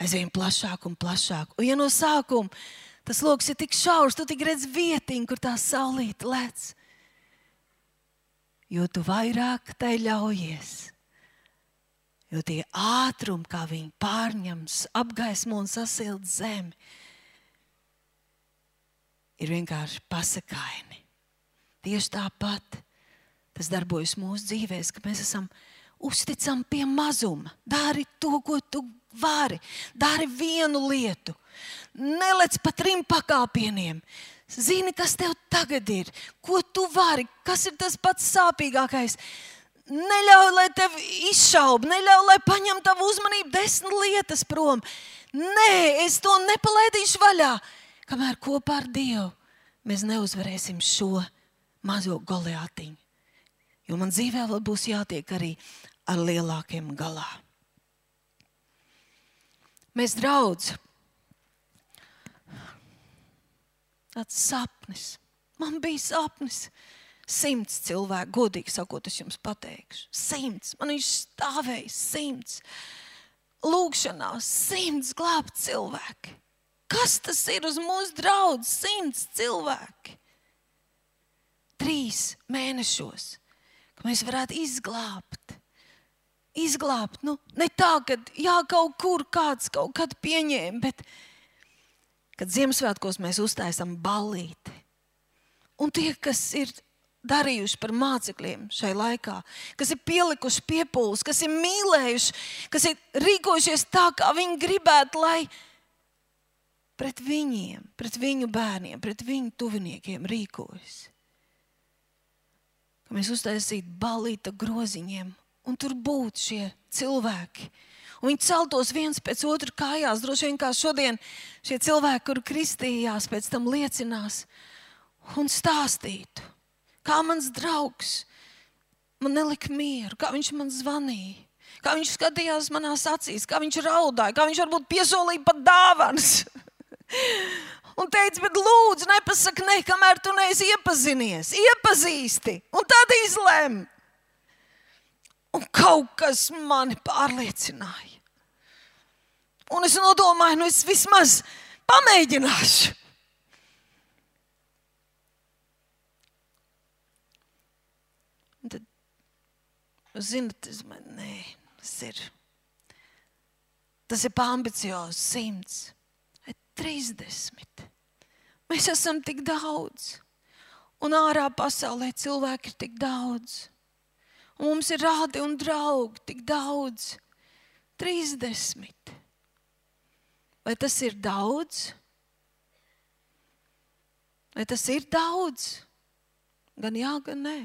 aizvien plašāk un plašāk. Un ja no sākuma tas loks ir tik šaurs, tu tik redz vietiņu, kur tā saulīte lec. Jo tu vairāk tai ļaujies. Jo tie ātrumi, kā viņi pārņems, apgaismo un sasild zemi, ir vienkārši pasakaini. Tieši tāpat tas darbojas mūsu dzīvēs, ka mēs esam uzticam pie mazuma. Dari to, ko tu vari. Dari vienu lietu. Nelec pa 3 pakāpieniem. Zini, kas tev tagad ir. Ko tu vari. Kas ir tas pats sāpīgākais. Neļauj, lai tev izšauba. Neļauj, lai paņem tavu uzmanību 10 lietas prom. Nē, es to nepalaidīšu vaļā. Kamēr kopā ar Dievu mēs neuzvarēsim šo mazo Goliātiņu. Jo man dzīvē vēl būs jātiek arī ar lielākiem galā. Mēs draudz. Tāds sapnis. Man bija sapnis. 100 cilvēku, godīgi sakot, es jums pateikšu. 100. Man viņš stāvēja 100. Lūkšanās 100 glābt cilvēki. Kas tas ir uz mūsu draudz? 100 cilvēki. 3 mēnešos, ka mēs varētu izglābt. Nu, ne tā, ka kaut kur kāds kaut kad pieņēma, bet kad Ziemassvētkos mēs uztaisam ballīti. Un tie, kas ir darījuši par mācekļiem šai laikā, kas ir pielikuši piepūles, kas ir mīlējuši, kas ir rīkojušies tā, kā viņi gribētu, lai pret viņiem, pret viņu bērniem, pret viņu tuviniekiem rīkojas. Ka mēs uztaisītu ballīta groziņiem, un tur būtu šie cilvēki. Un viņi celtos viens pēc otru kājās, droši vien kā šodien šie cilvēki, kuri kristījās, pēc tam liecinās un stāstītu. Kā mans draugs man nelika mieru, kā viņš man zvanīja, kā viņš skatījās manās acīs, kā viņš raudāja, kā viņš varbūt piesolīja pat dāvanas. Un teica, bet lūdzu, nepasaka ne, kamēr tu neesi iepazinies. Iepazīsti, un tad izlem. Un kaut kas mani pārliecināja. Un es nodomāju, nu es vismaz pamēģināšu. Un tad, zinat, tas ir pārambiciozs 100. 30. Mēs esam tik daudz. Un ārā pasaulē cilvēki ir tik daudz. Un mums ir rādi un draugi tik daudz. 30. Vai tas ir daudz? Vai tas ir daudz? Gan jā, gan nē.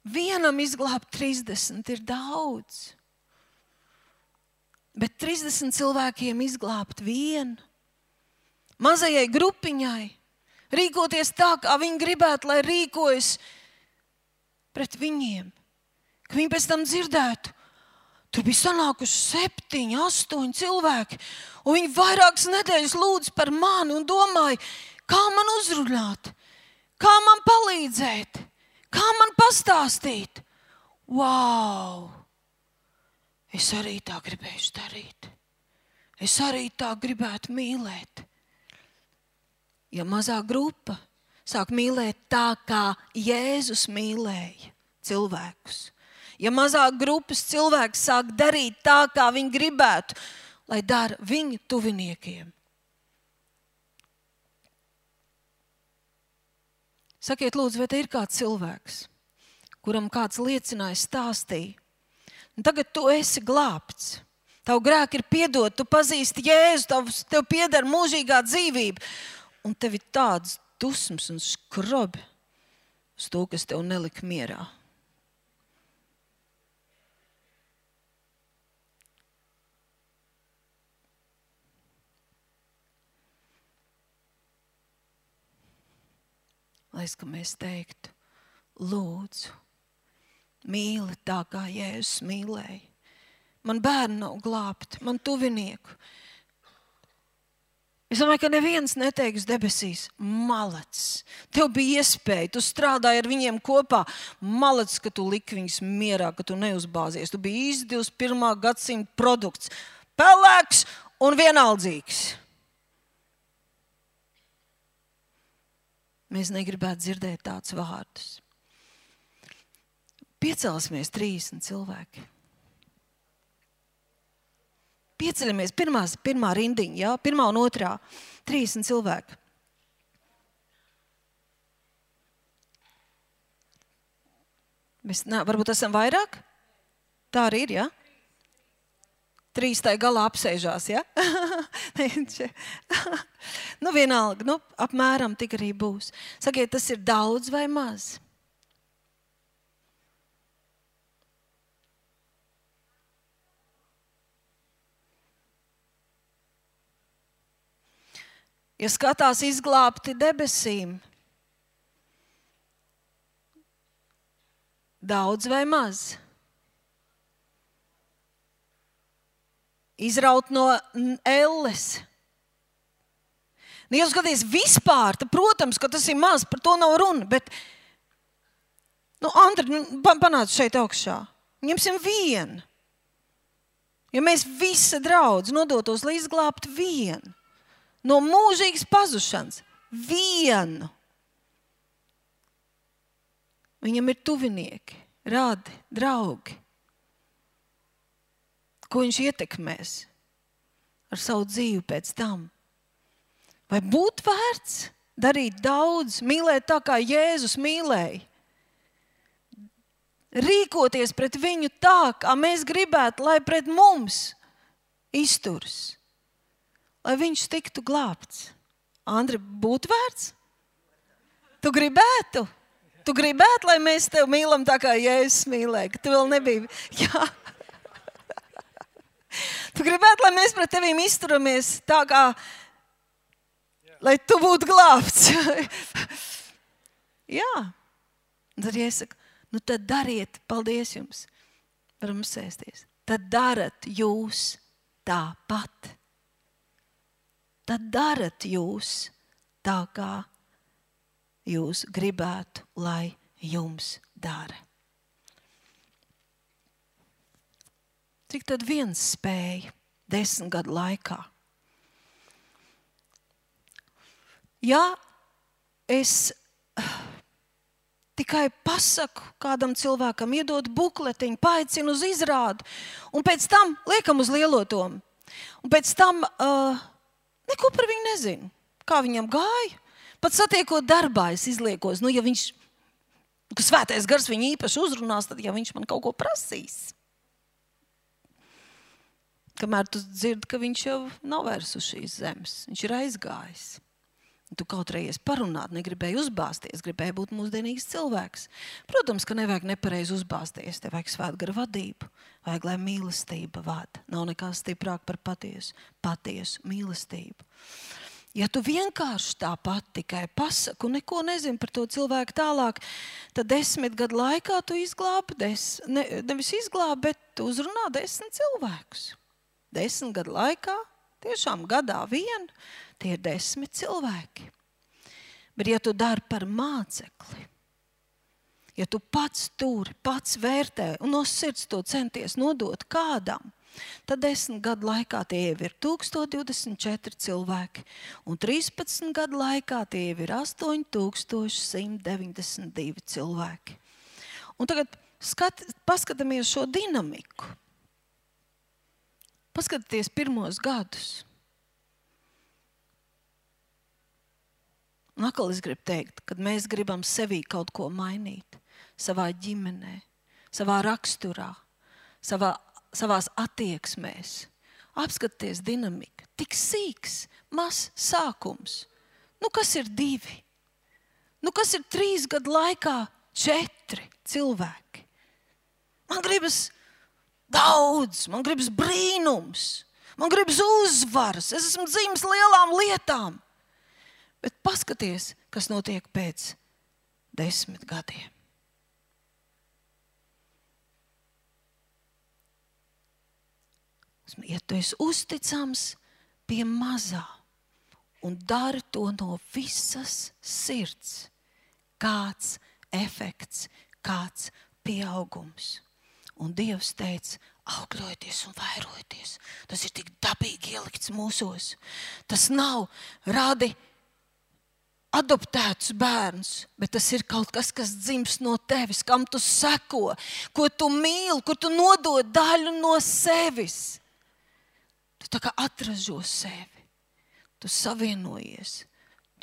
Vienam izglābt 30 ir daudz. Bet 30 cilvēkiem izglābt vienu. Mazajai grupiņai rīkoties tā, kā viņi gribētu, lai rīkojas pret viņiem. Ka viņi pēc tam dzirdētu, tur bija sanākuši 7, 8 cilvēki, un viņi vairākas nedēļas lūdz par mani un domāja, kā man uzrunāt, kā man palīdzēt, kā man pastāstīt. Wow! Es arī tā gribēšu darīt. Es arī tā gribētu mīlēt. Ja mazā grupa sāk mīlēt tā, kā Jēzus mīlēja cilvēkus. Ja mazā grupas cilvēks sāk darīt tā, kā viņi gribētu, lai dara viņu tuviniekiem. Sakiet, lūdzu, vai te ir kāds cilvēks, kuram kāds liecināja, stāstīja? Un tagad tu esi glābts. Tavu grēku ir piedot, tu pazīsti Jēzu, tev pieder mūžīgā dzīvība. Un tev ir tāds dusmas un skrobi uz to, kas tev nelika mierā. Lai es, ka mēs teiktu, lūdzu, mīli tā, kā Jēzus mīlēja. Man bērni nav glābti, man tuvinieku. Es domāju, ka neviens neteiks debesīs, malacis. Tev bija iespēja, tu strādāji ar viņiem kopā. Malacis, ka tu liki viņus mierā, ka tu neuzbāzies. Tu biji īsti 21. gadsimta produkts. Pelēks un vienaldzīgs. Mēs negribētu dzirdēt tādus vārdus. Piecelsimies 30 cilvēki. Pieceļamies pirmā rindiņa, jā, pirmā un otrā. 30 cilvēki. Mēs varbūt esam vairāk? Tā arī ir, jā? 3 tai galā apsēžās, jā? Nu, vienalga, apmēram tik arī būs. Sakiet, tas ir daudz vai maz? Ja skatās izglābti debesīm, daudz vai maz? Izraut no elles, Ja skaties vispār, tad, protams, ka tas ir maz, par to nav runa, bet, Andri, panāc šeit augšā. Ņemsim vienu. Ja mēs visa draudz nodotos, lai izglābtu vienu, no mūžīgas pazušanas, vienu. Viņam ir tuvinieki, radi, draugi. Ko viņš ietekmēs ar savu dzīvi pēc tam? Vai būtu vērts darīt daudz, mīlēt tā, kā Jēzus mīlēja? Rīkoties pret viņu tā, kā mēs gribētu, lai pret mums izturas. Lai viņš tiktu glābts. Andri, būtu vērts? Tu gribētu? Tu gribētu, lai mēs tevi mīlam tā, kā Jēzus mīlēja? Ka tu vēl nebija... Jā. Tu gribētu, lai mēs pret tevīm izturamies tā, kā... Lai tu būtu glābts. Jā. Tad iesaka, tad dariet, paldies jums. Varam sēsties. Tad darat jūs tāpat. Tad darat jūs tā, kā jūs gribētu, lai jums dara. Cik tad viens spēja 10 gadu laikā? Ja es tikai pasaku kādam cilvēkam, iedod bukletiņu, paaicinu uz izrādi, un pēc tam liekam uz lielotomu. Un pēc tam neko par viņu nezinu. Kā viņam gāja? Pat satiekot darbā, es izliekos, ja viņš, ka svētais gars viņu īpaši uzrunās, tad ja viņš man kaut ko prasīs. Kamēr tu dzirdi, ka viņš jau nav vairs uz šīs zemes. Viņš ir aizgājis. Tu kaut reiz parunāt, negribēji uzbāzties, gribēji būt mūsdienīgs cilvēks. Protams, ka nevajag nepareizi uzbāzties, te vajag svētgara vadību, vajag, lai mīlestība vada. Nav nekā stiprāk par patiesu mīlestību. Ja tu vienkārši tāpat tikai pasaku un neko nezini par to cilvēku tālāk, tad 10 gadu laikā tu izglābi, nevis izglābi, bet tu uzrunā 10 cilvēkus. 10 gadu laikā, tiešām gadā vien, tie ir 10 cilvēki. Bet ja tu dari par mācekli, ja tu pats turi, pats vērtē un no sirds to centies nodot kādam, tad 10 gadu laikā tie jau ir 1024 cilvēki un 13 gadu laikā tie jau ir 8192 cilvēki. Un tagad paskatāmies šo dinamiku. Paskatieties pirmos gadus. Un atkal es gribu teikt, kad mēs gribam sevī kaut ko mainīt, savā ģimenē, savā raksturā, savās attieksmēs. Apskaties dinamika. Tik sīks, mazs sākums. Kas ir 2? Kas ir 3 gadu laikā 4 cilvēki? Man gribas daudz, man gribas brīnums, man gribas uzvaras. Es esmu dzimis lielām lietām. Bet paskaties, kas notiek pēc 10 gadiem. Ja tu esi uzticams pie mazā un dari to no visas sirds, kāds efekts, kāds pieaugums. Un Dievs teica, augļojieties un vairojieties. Tas ir tik dabīgi ielikts mūsos. Tas nav radi adoptēts bērns, bet tas ir kaut kas, kas dzimst no tevis, kam tu seko, ko tu mīli, kur tu nodod daļu no sevis. Tu tā kā atražo sevi, tu savienojies,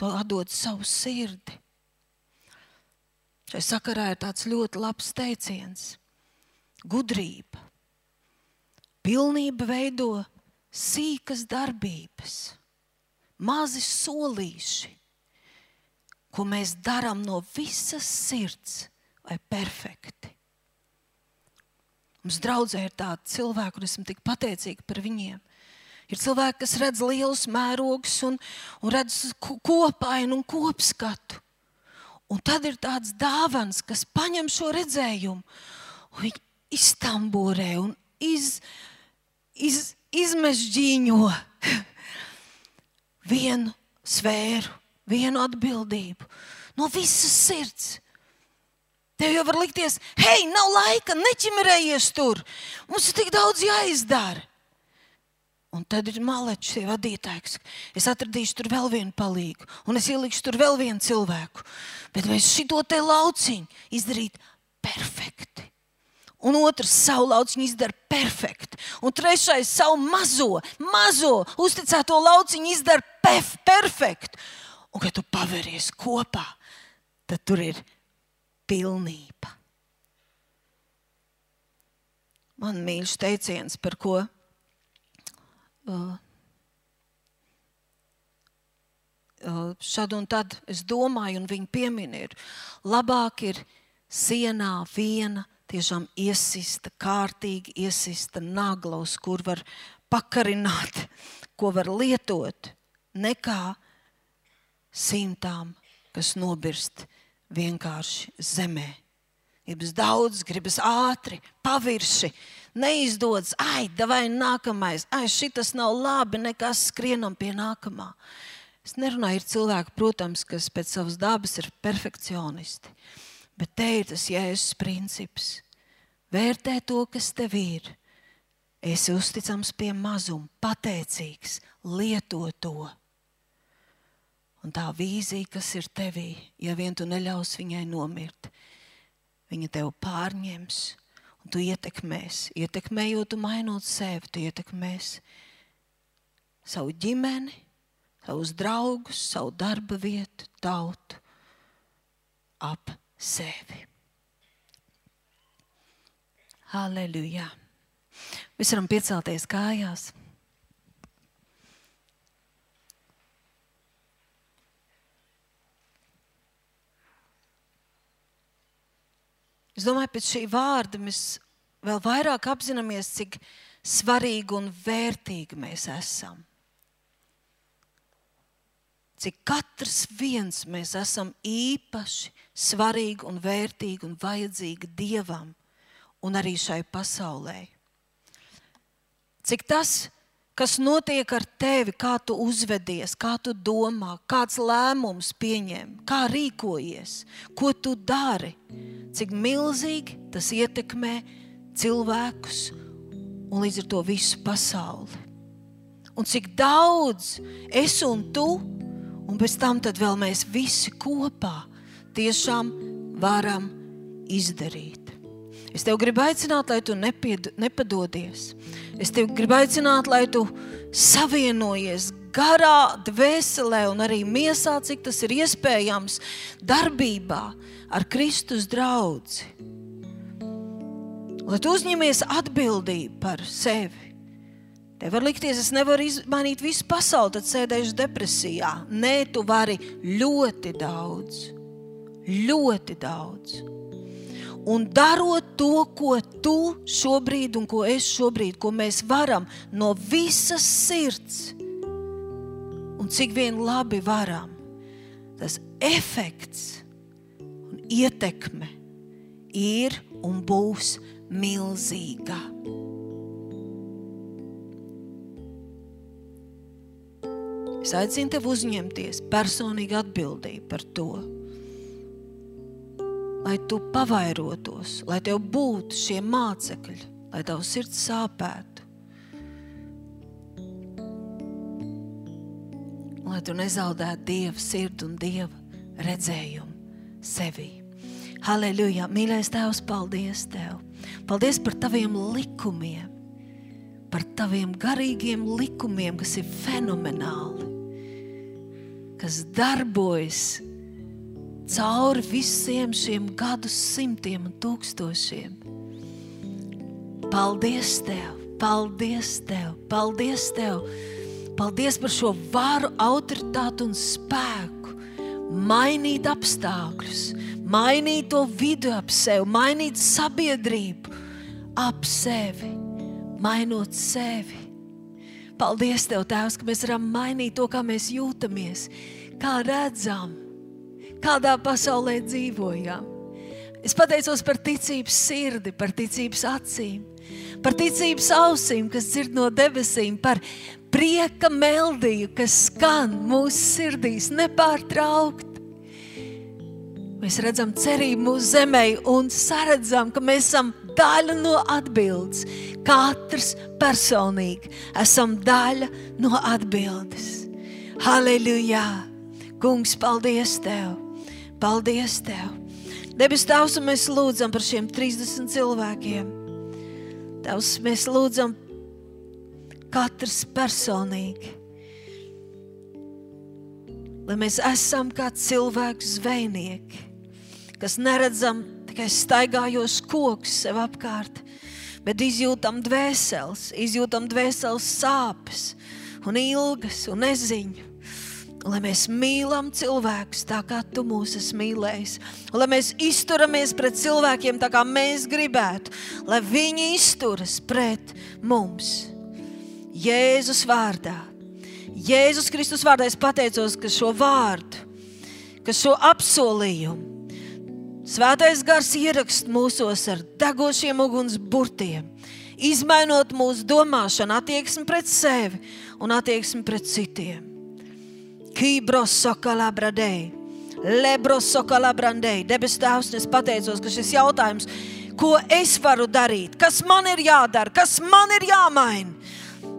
tu atdod savu sirdi. Šai sakarā ir tāds ļoti labs teiciens. Gudrība. Pilnība veido sīkas darbības, mazi solīši, ko mēs darām no visas sirds, vai perfekti. Mums draudzē ir tādi cilvēki, un esmu tik pateicīga par viņiem. Ir cilvēki, kas redz lielus mērogus un redz kopainu un kopskatu. Un tad ir tāds dāvans, kas paņem šo redzējumu, un viņi iztamborē un izmežģīņo vienu sfēru, vienu atbildību, no visas sirds. Tev jau var likties, hei, nav laika, neķimerējies tur, mums ir tik daudz jāizdara. Un tad ir malečs, ir vadītājs. Es atradīšu tur vēl vienu palīgu, un es ielikšu tur vēl vienu cilvēku. Bet mēs šito te lauciņu izdarīt perfekti. Un otrs savu lauciņu izdara perfekti. Un trešais savu mazo uzticēto lauciņu izdara perfekti. Un, kad tu paveries kopā, tad tur ir pilnība. Man mīļš teiciens, par ko šad un tad es domāju, un viņi piemin ir, labāk ir sienā viena tiešām iesista, kārtīgi iesista nagla, uz kur var pakarināt, ko var lietot, nekā simtām, kas nobirst vienkārši zemē. Gribas daudz, gribas ātri, pavirši, neizdodas, davai nākamais, šitas nav labi, nekas, skrienam pie nākamā. Es nerunāju, ir cilvēki, protams, kas pēc savas dabas ir perfekcionisti, bet te ir tas Jēzus princips. Vērtē to, kas tev ir. Esi uzticams pie mazuma, pateicīgs, lieto to. Un tā vīzija, kas ir tevī, ja vien tu neļaus viņai nomirt, viņa tev pārņems, un tu ietekmēs. Ietekmējot, tu mainot sevi, tu ietekmēs savu ģimeni, savus draugus, savu darba vietu, tautu ap sevi. Halleluja! Mēs varam piecelties kājās. Es domāju, pēc šī vārda mēs vēl vairāk apzināmies, cik svarīgi un vērtīgi mēs esam. Cik katrs viens mēs esam īpaši svarīgi un vērtīgi un vajadzīgi Dievam un arī šai pasaulē. Cik tas, kas notiek ar tevi, kā tu uzvedies, kā tu domā, kāds lēmums pieņem, kā rīkojies, ko tu dari, cik milzīgi tas ietekmē cilvēkus un līdz ar to visu pasauli. Un cik daudz es un tu, un pēc tam tad vēl mēs visi kopā tiešām varam izdarīt. Es tev gribu aicināt, lai tu nepadodies. Es tev gribu aicināt, lai tu savienojies garā, dvēselē un arī miesā, cik tas ir iespējams, darbībā ar Kristus draudzi. Lai tu uzņemies atbildību par sevi. Tev var likties, es nevaru izmainīt visu pasauli, tad sēdēšu depresijā. Nē, tu vari ļoti daudz. Ļoti daudz. Un darot to, ko tu šobrīd un ko es šobrīd, ko mēs varam no visas sirds un cik vien labi varam, tas efekts un ietekme ir un būs milzīga. Es aicinu tev uzņemties personīgi atbildību par to, lai tu pavairotos, lai tev būtu šie mācekļi, lai tavu sirds sāpētu, lai tu nezaudētu Dieva sirdi un Dieva redzējumu sevī. Halleluja! Mīļais Tēvs, paldies Tev! Paldies par Taviem likumiem, par Taviem garīgiem likumiem, kas ir fenomenāli, kas darbojas cauri visiem šiem gadu simtiem un tūkstošiem. Paldies Tev, paldies Tev, paldies Tev. Paldies par šo varu, autoritāti un spēku. Mainīt apstākļus, mainīt to vidu ap sevi, mainīt sabiedrību ap sevi, mainot sevi. Paldies Tev, Tēvs, ka mēs varam mainīt to, kā mēs jūtamies, kā redzam, kādā pasaulē dzīvojam. Es pateicos par ticības sirdi, par ticības acīm, par ticības ausīm, kas dzird no debesīm, par prieka meldiju, kas skan mūsu sirdīs nepārtraukt. Mēs redzam cerību mūsu zemē un saredzam, ka mēs esam daļa no atbildes. Katrs personīgi esam daļa no atbildes. Halleluja! Kungs, paldies Tev! Paldies Tev! Debes Tavs, un mēs lūdzam par šiem 30 cilvēkiem. Tavs, mēs lūdzam katrs personīgi. Lai mēs esam kā cilvēku zvejnieki, kas neredzam tikai staigājos kokus sev apkārt, bet izjūtam dvēseles sāpes un ilgas un neziņu. Un lai mēs mīlam cilvēkus tā, kā Tu mūs esi mīlējis. Un lai mēs izturamies pret cilvēkiem tā, kā mēs gribētu. Lai viņi izturas pret mums. Jēzus vārdā. Jēzus Kristus vārdā es pateicos, ka šo vārdu, ka šo apsolījumu Svētais Gars ierakst mūsos ar degošiem uguns burtiem, izmainot mūsu domāšanu, attieksmi pret sevi un attieksmi pret citiem. Debes Tēvs, es pateicos, ka šis jautājums, ko es varu darīt, kas man ir jādara, kas man ir jāmaina,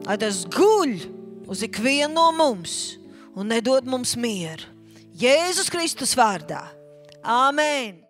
lai tas guļ uz ikvienu no mums un nedod mums mieru. Jēzus Kristus vārdā. Āmen!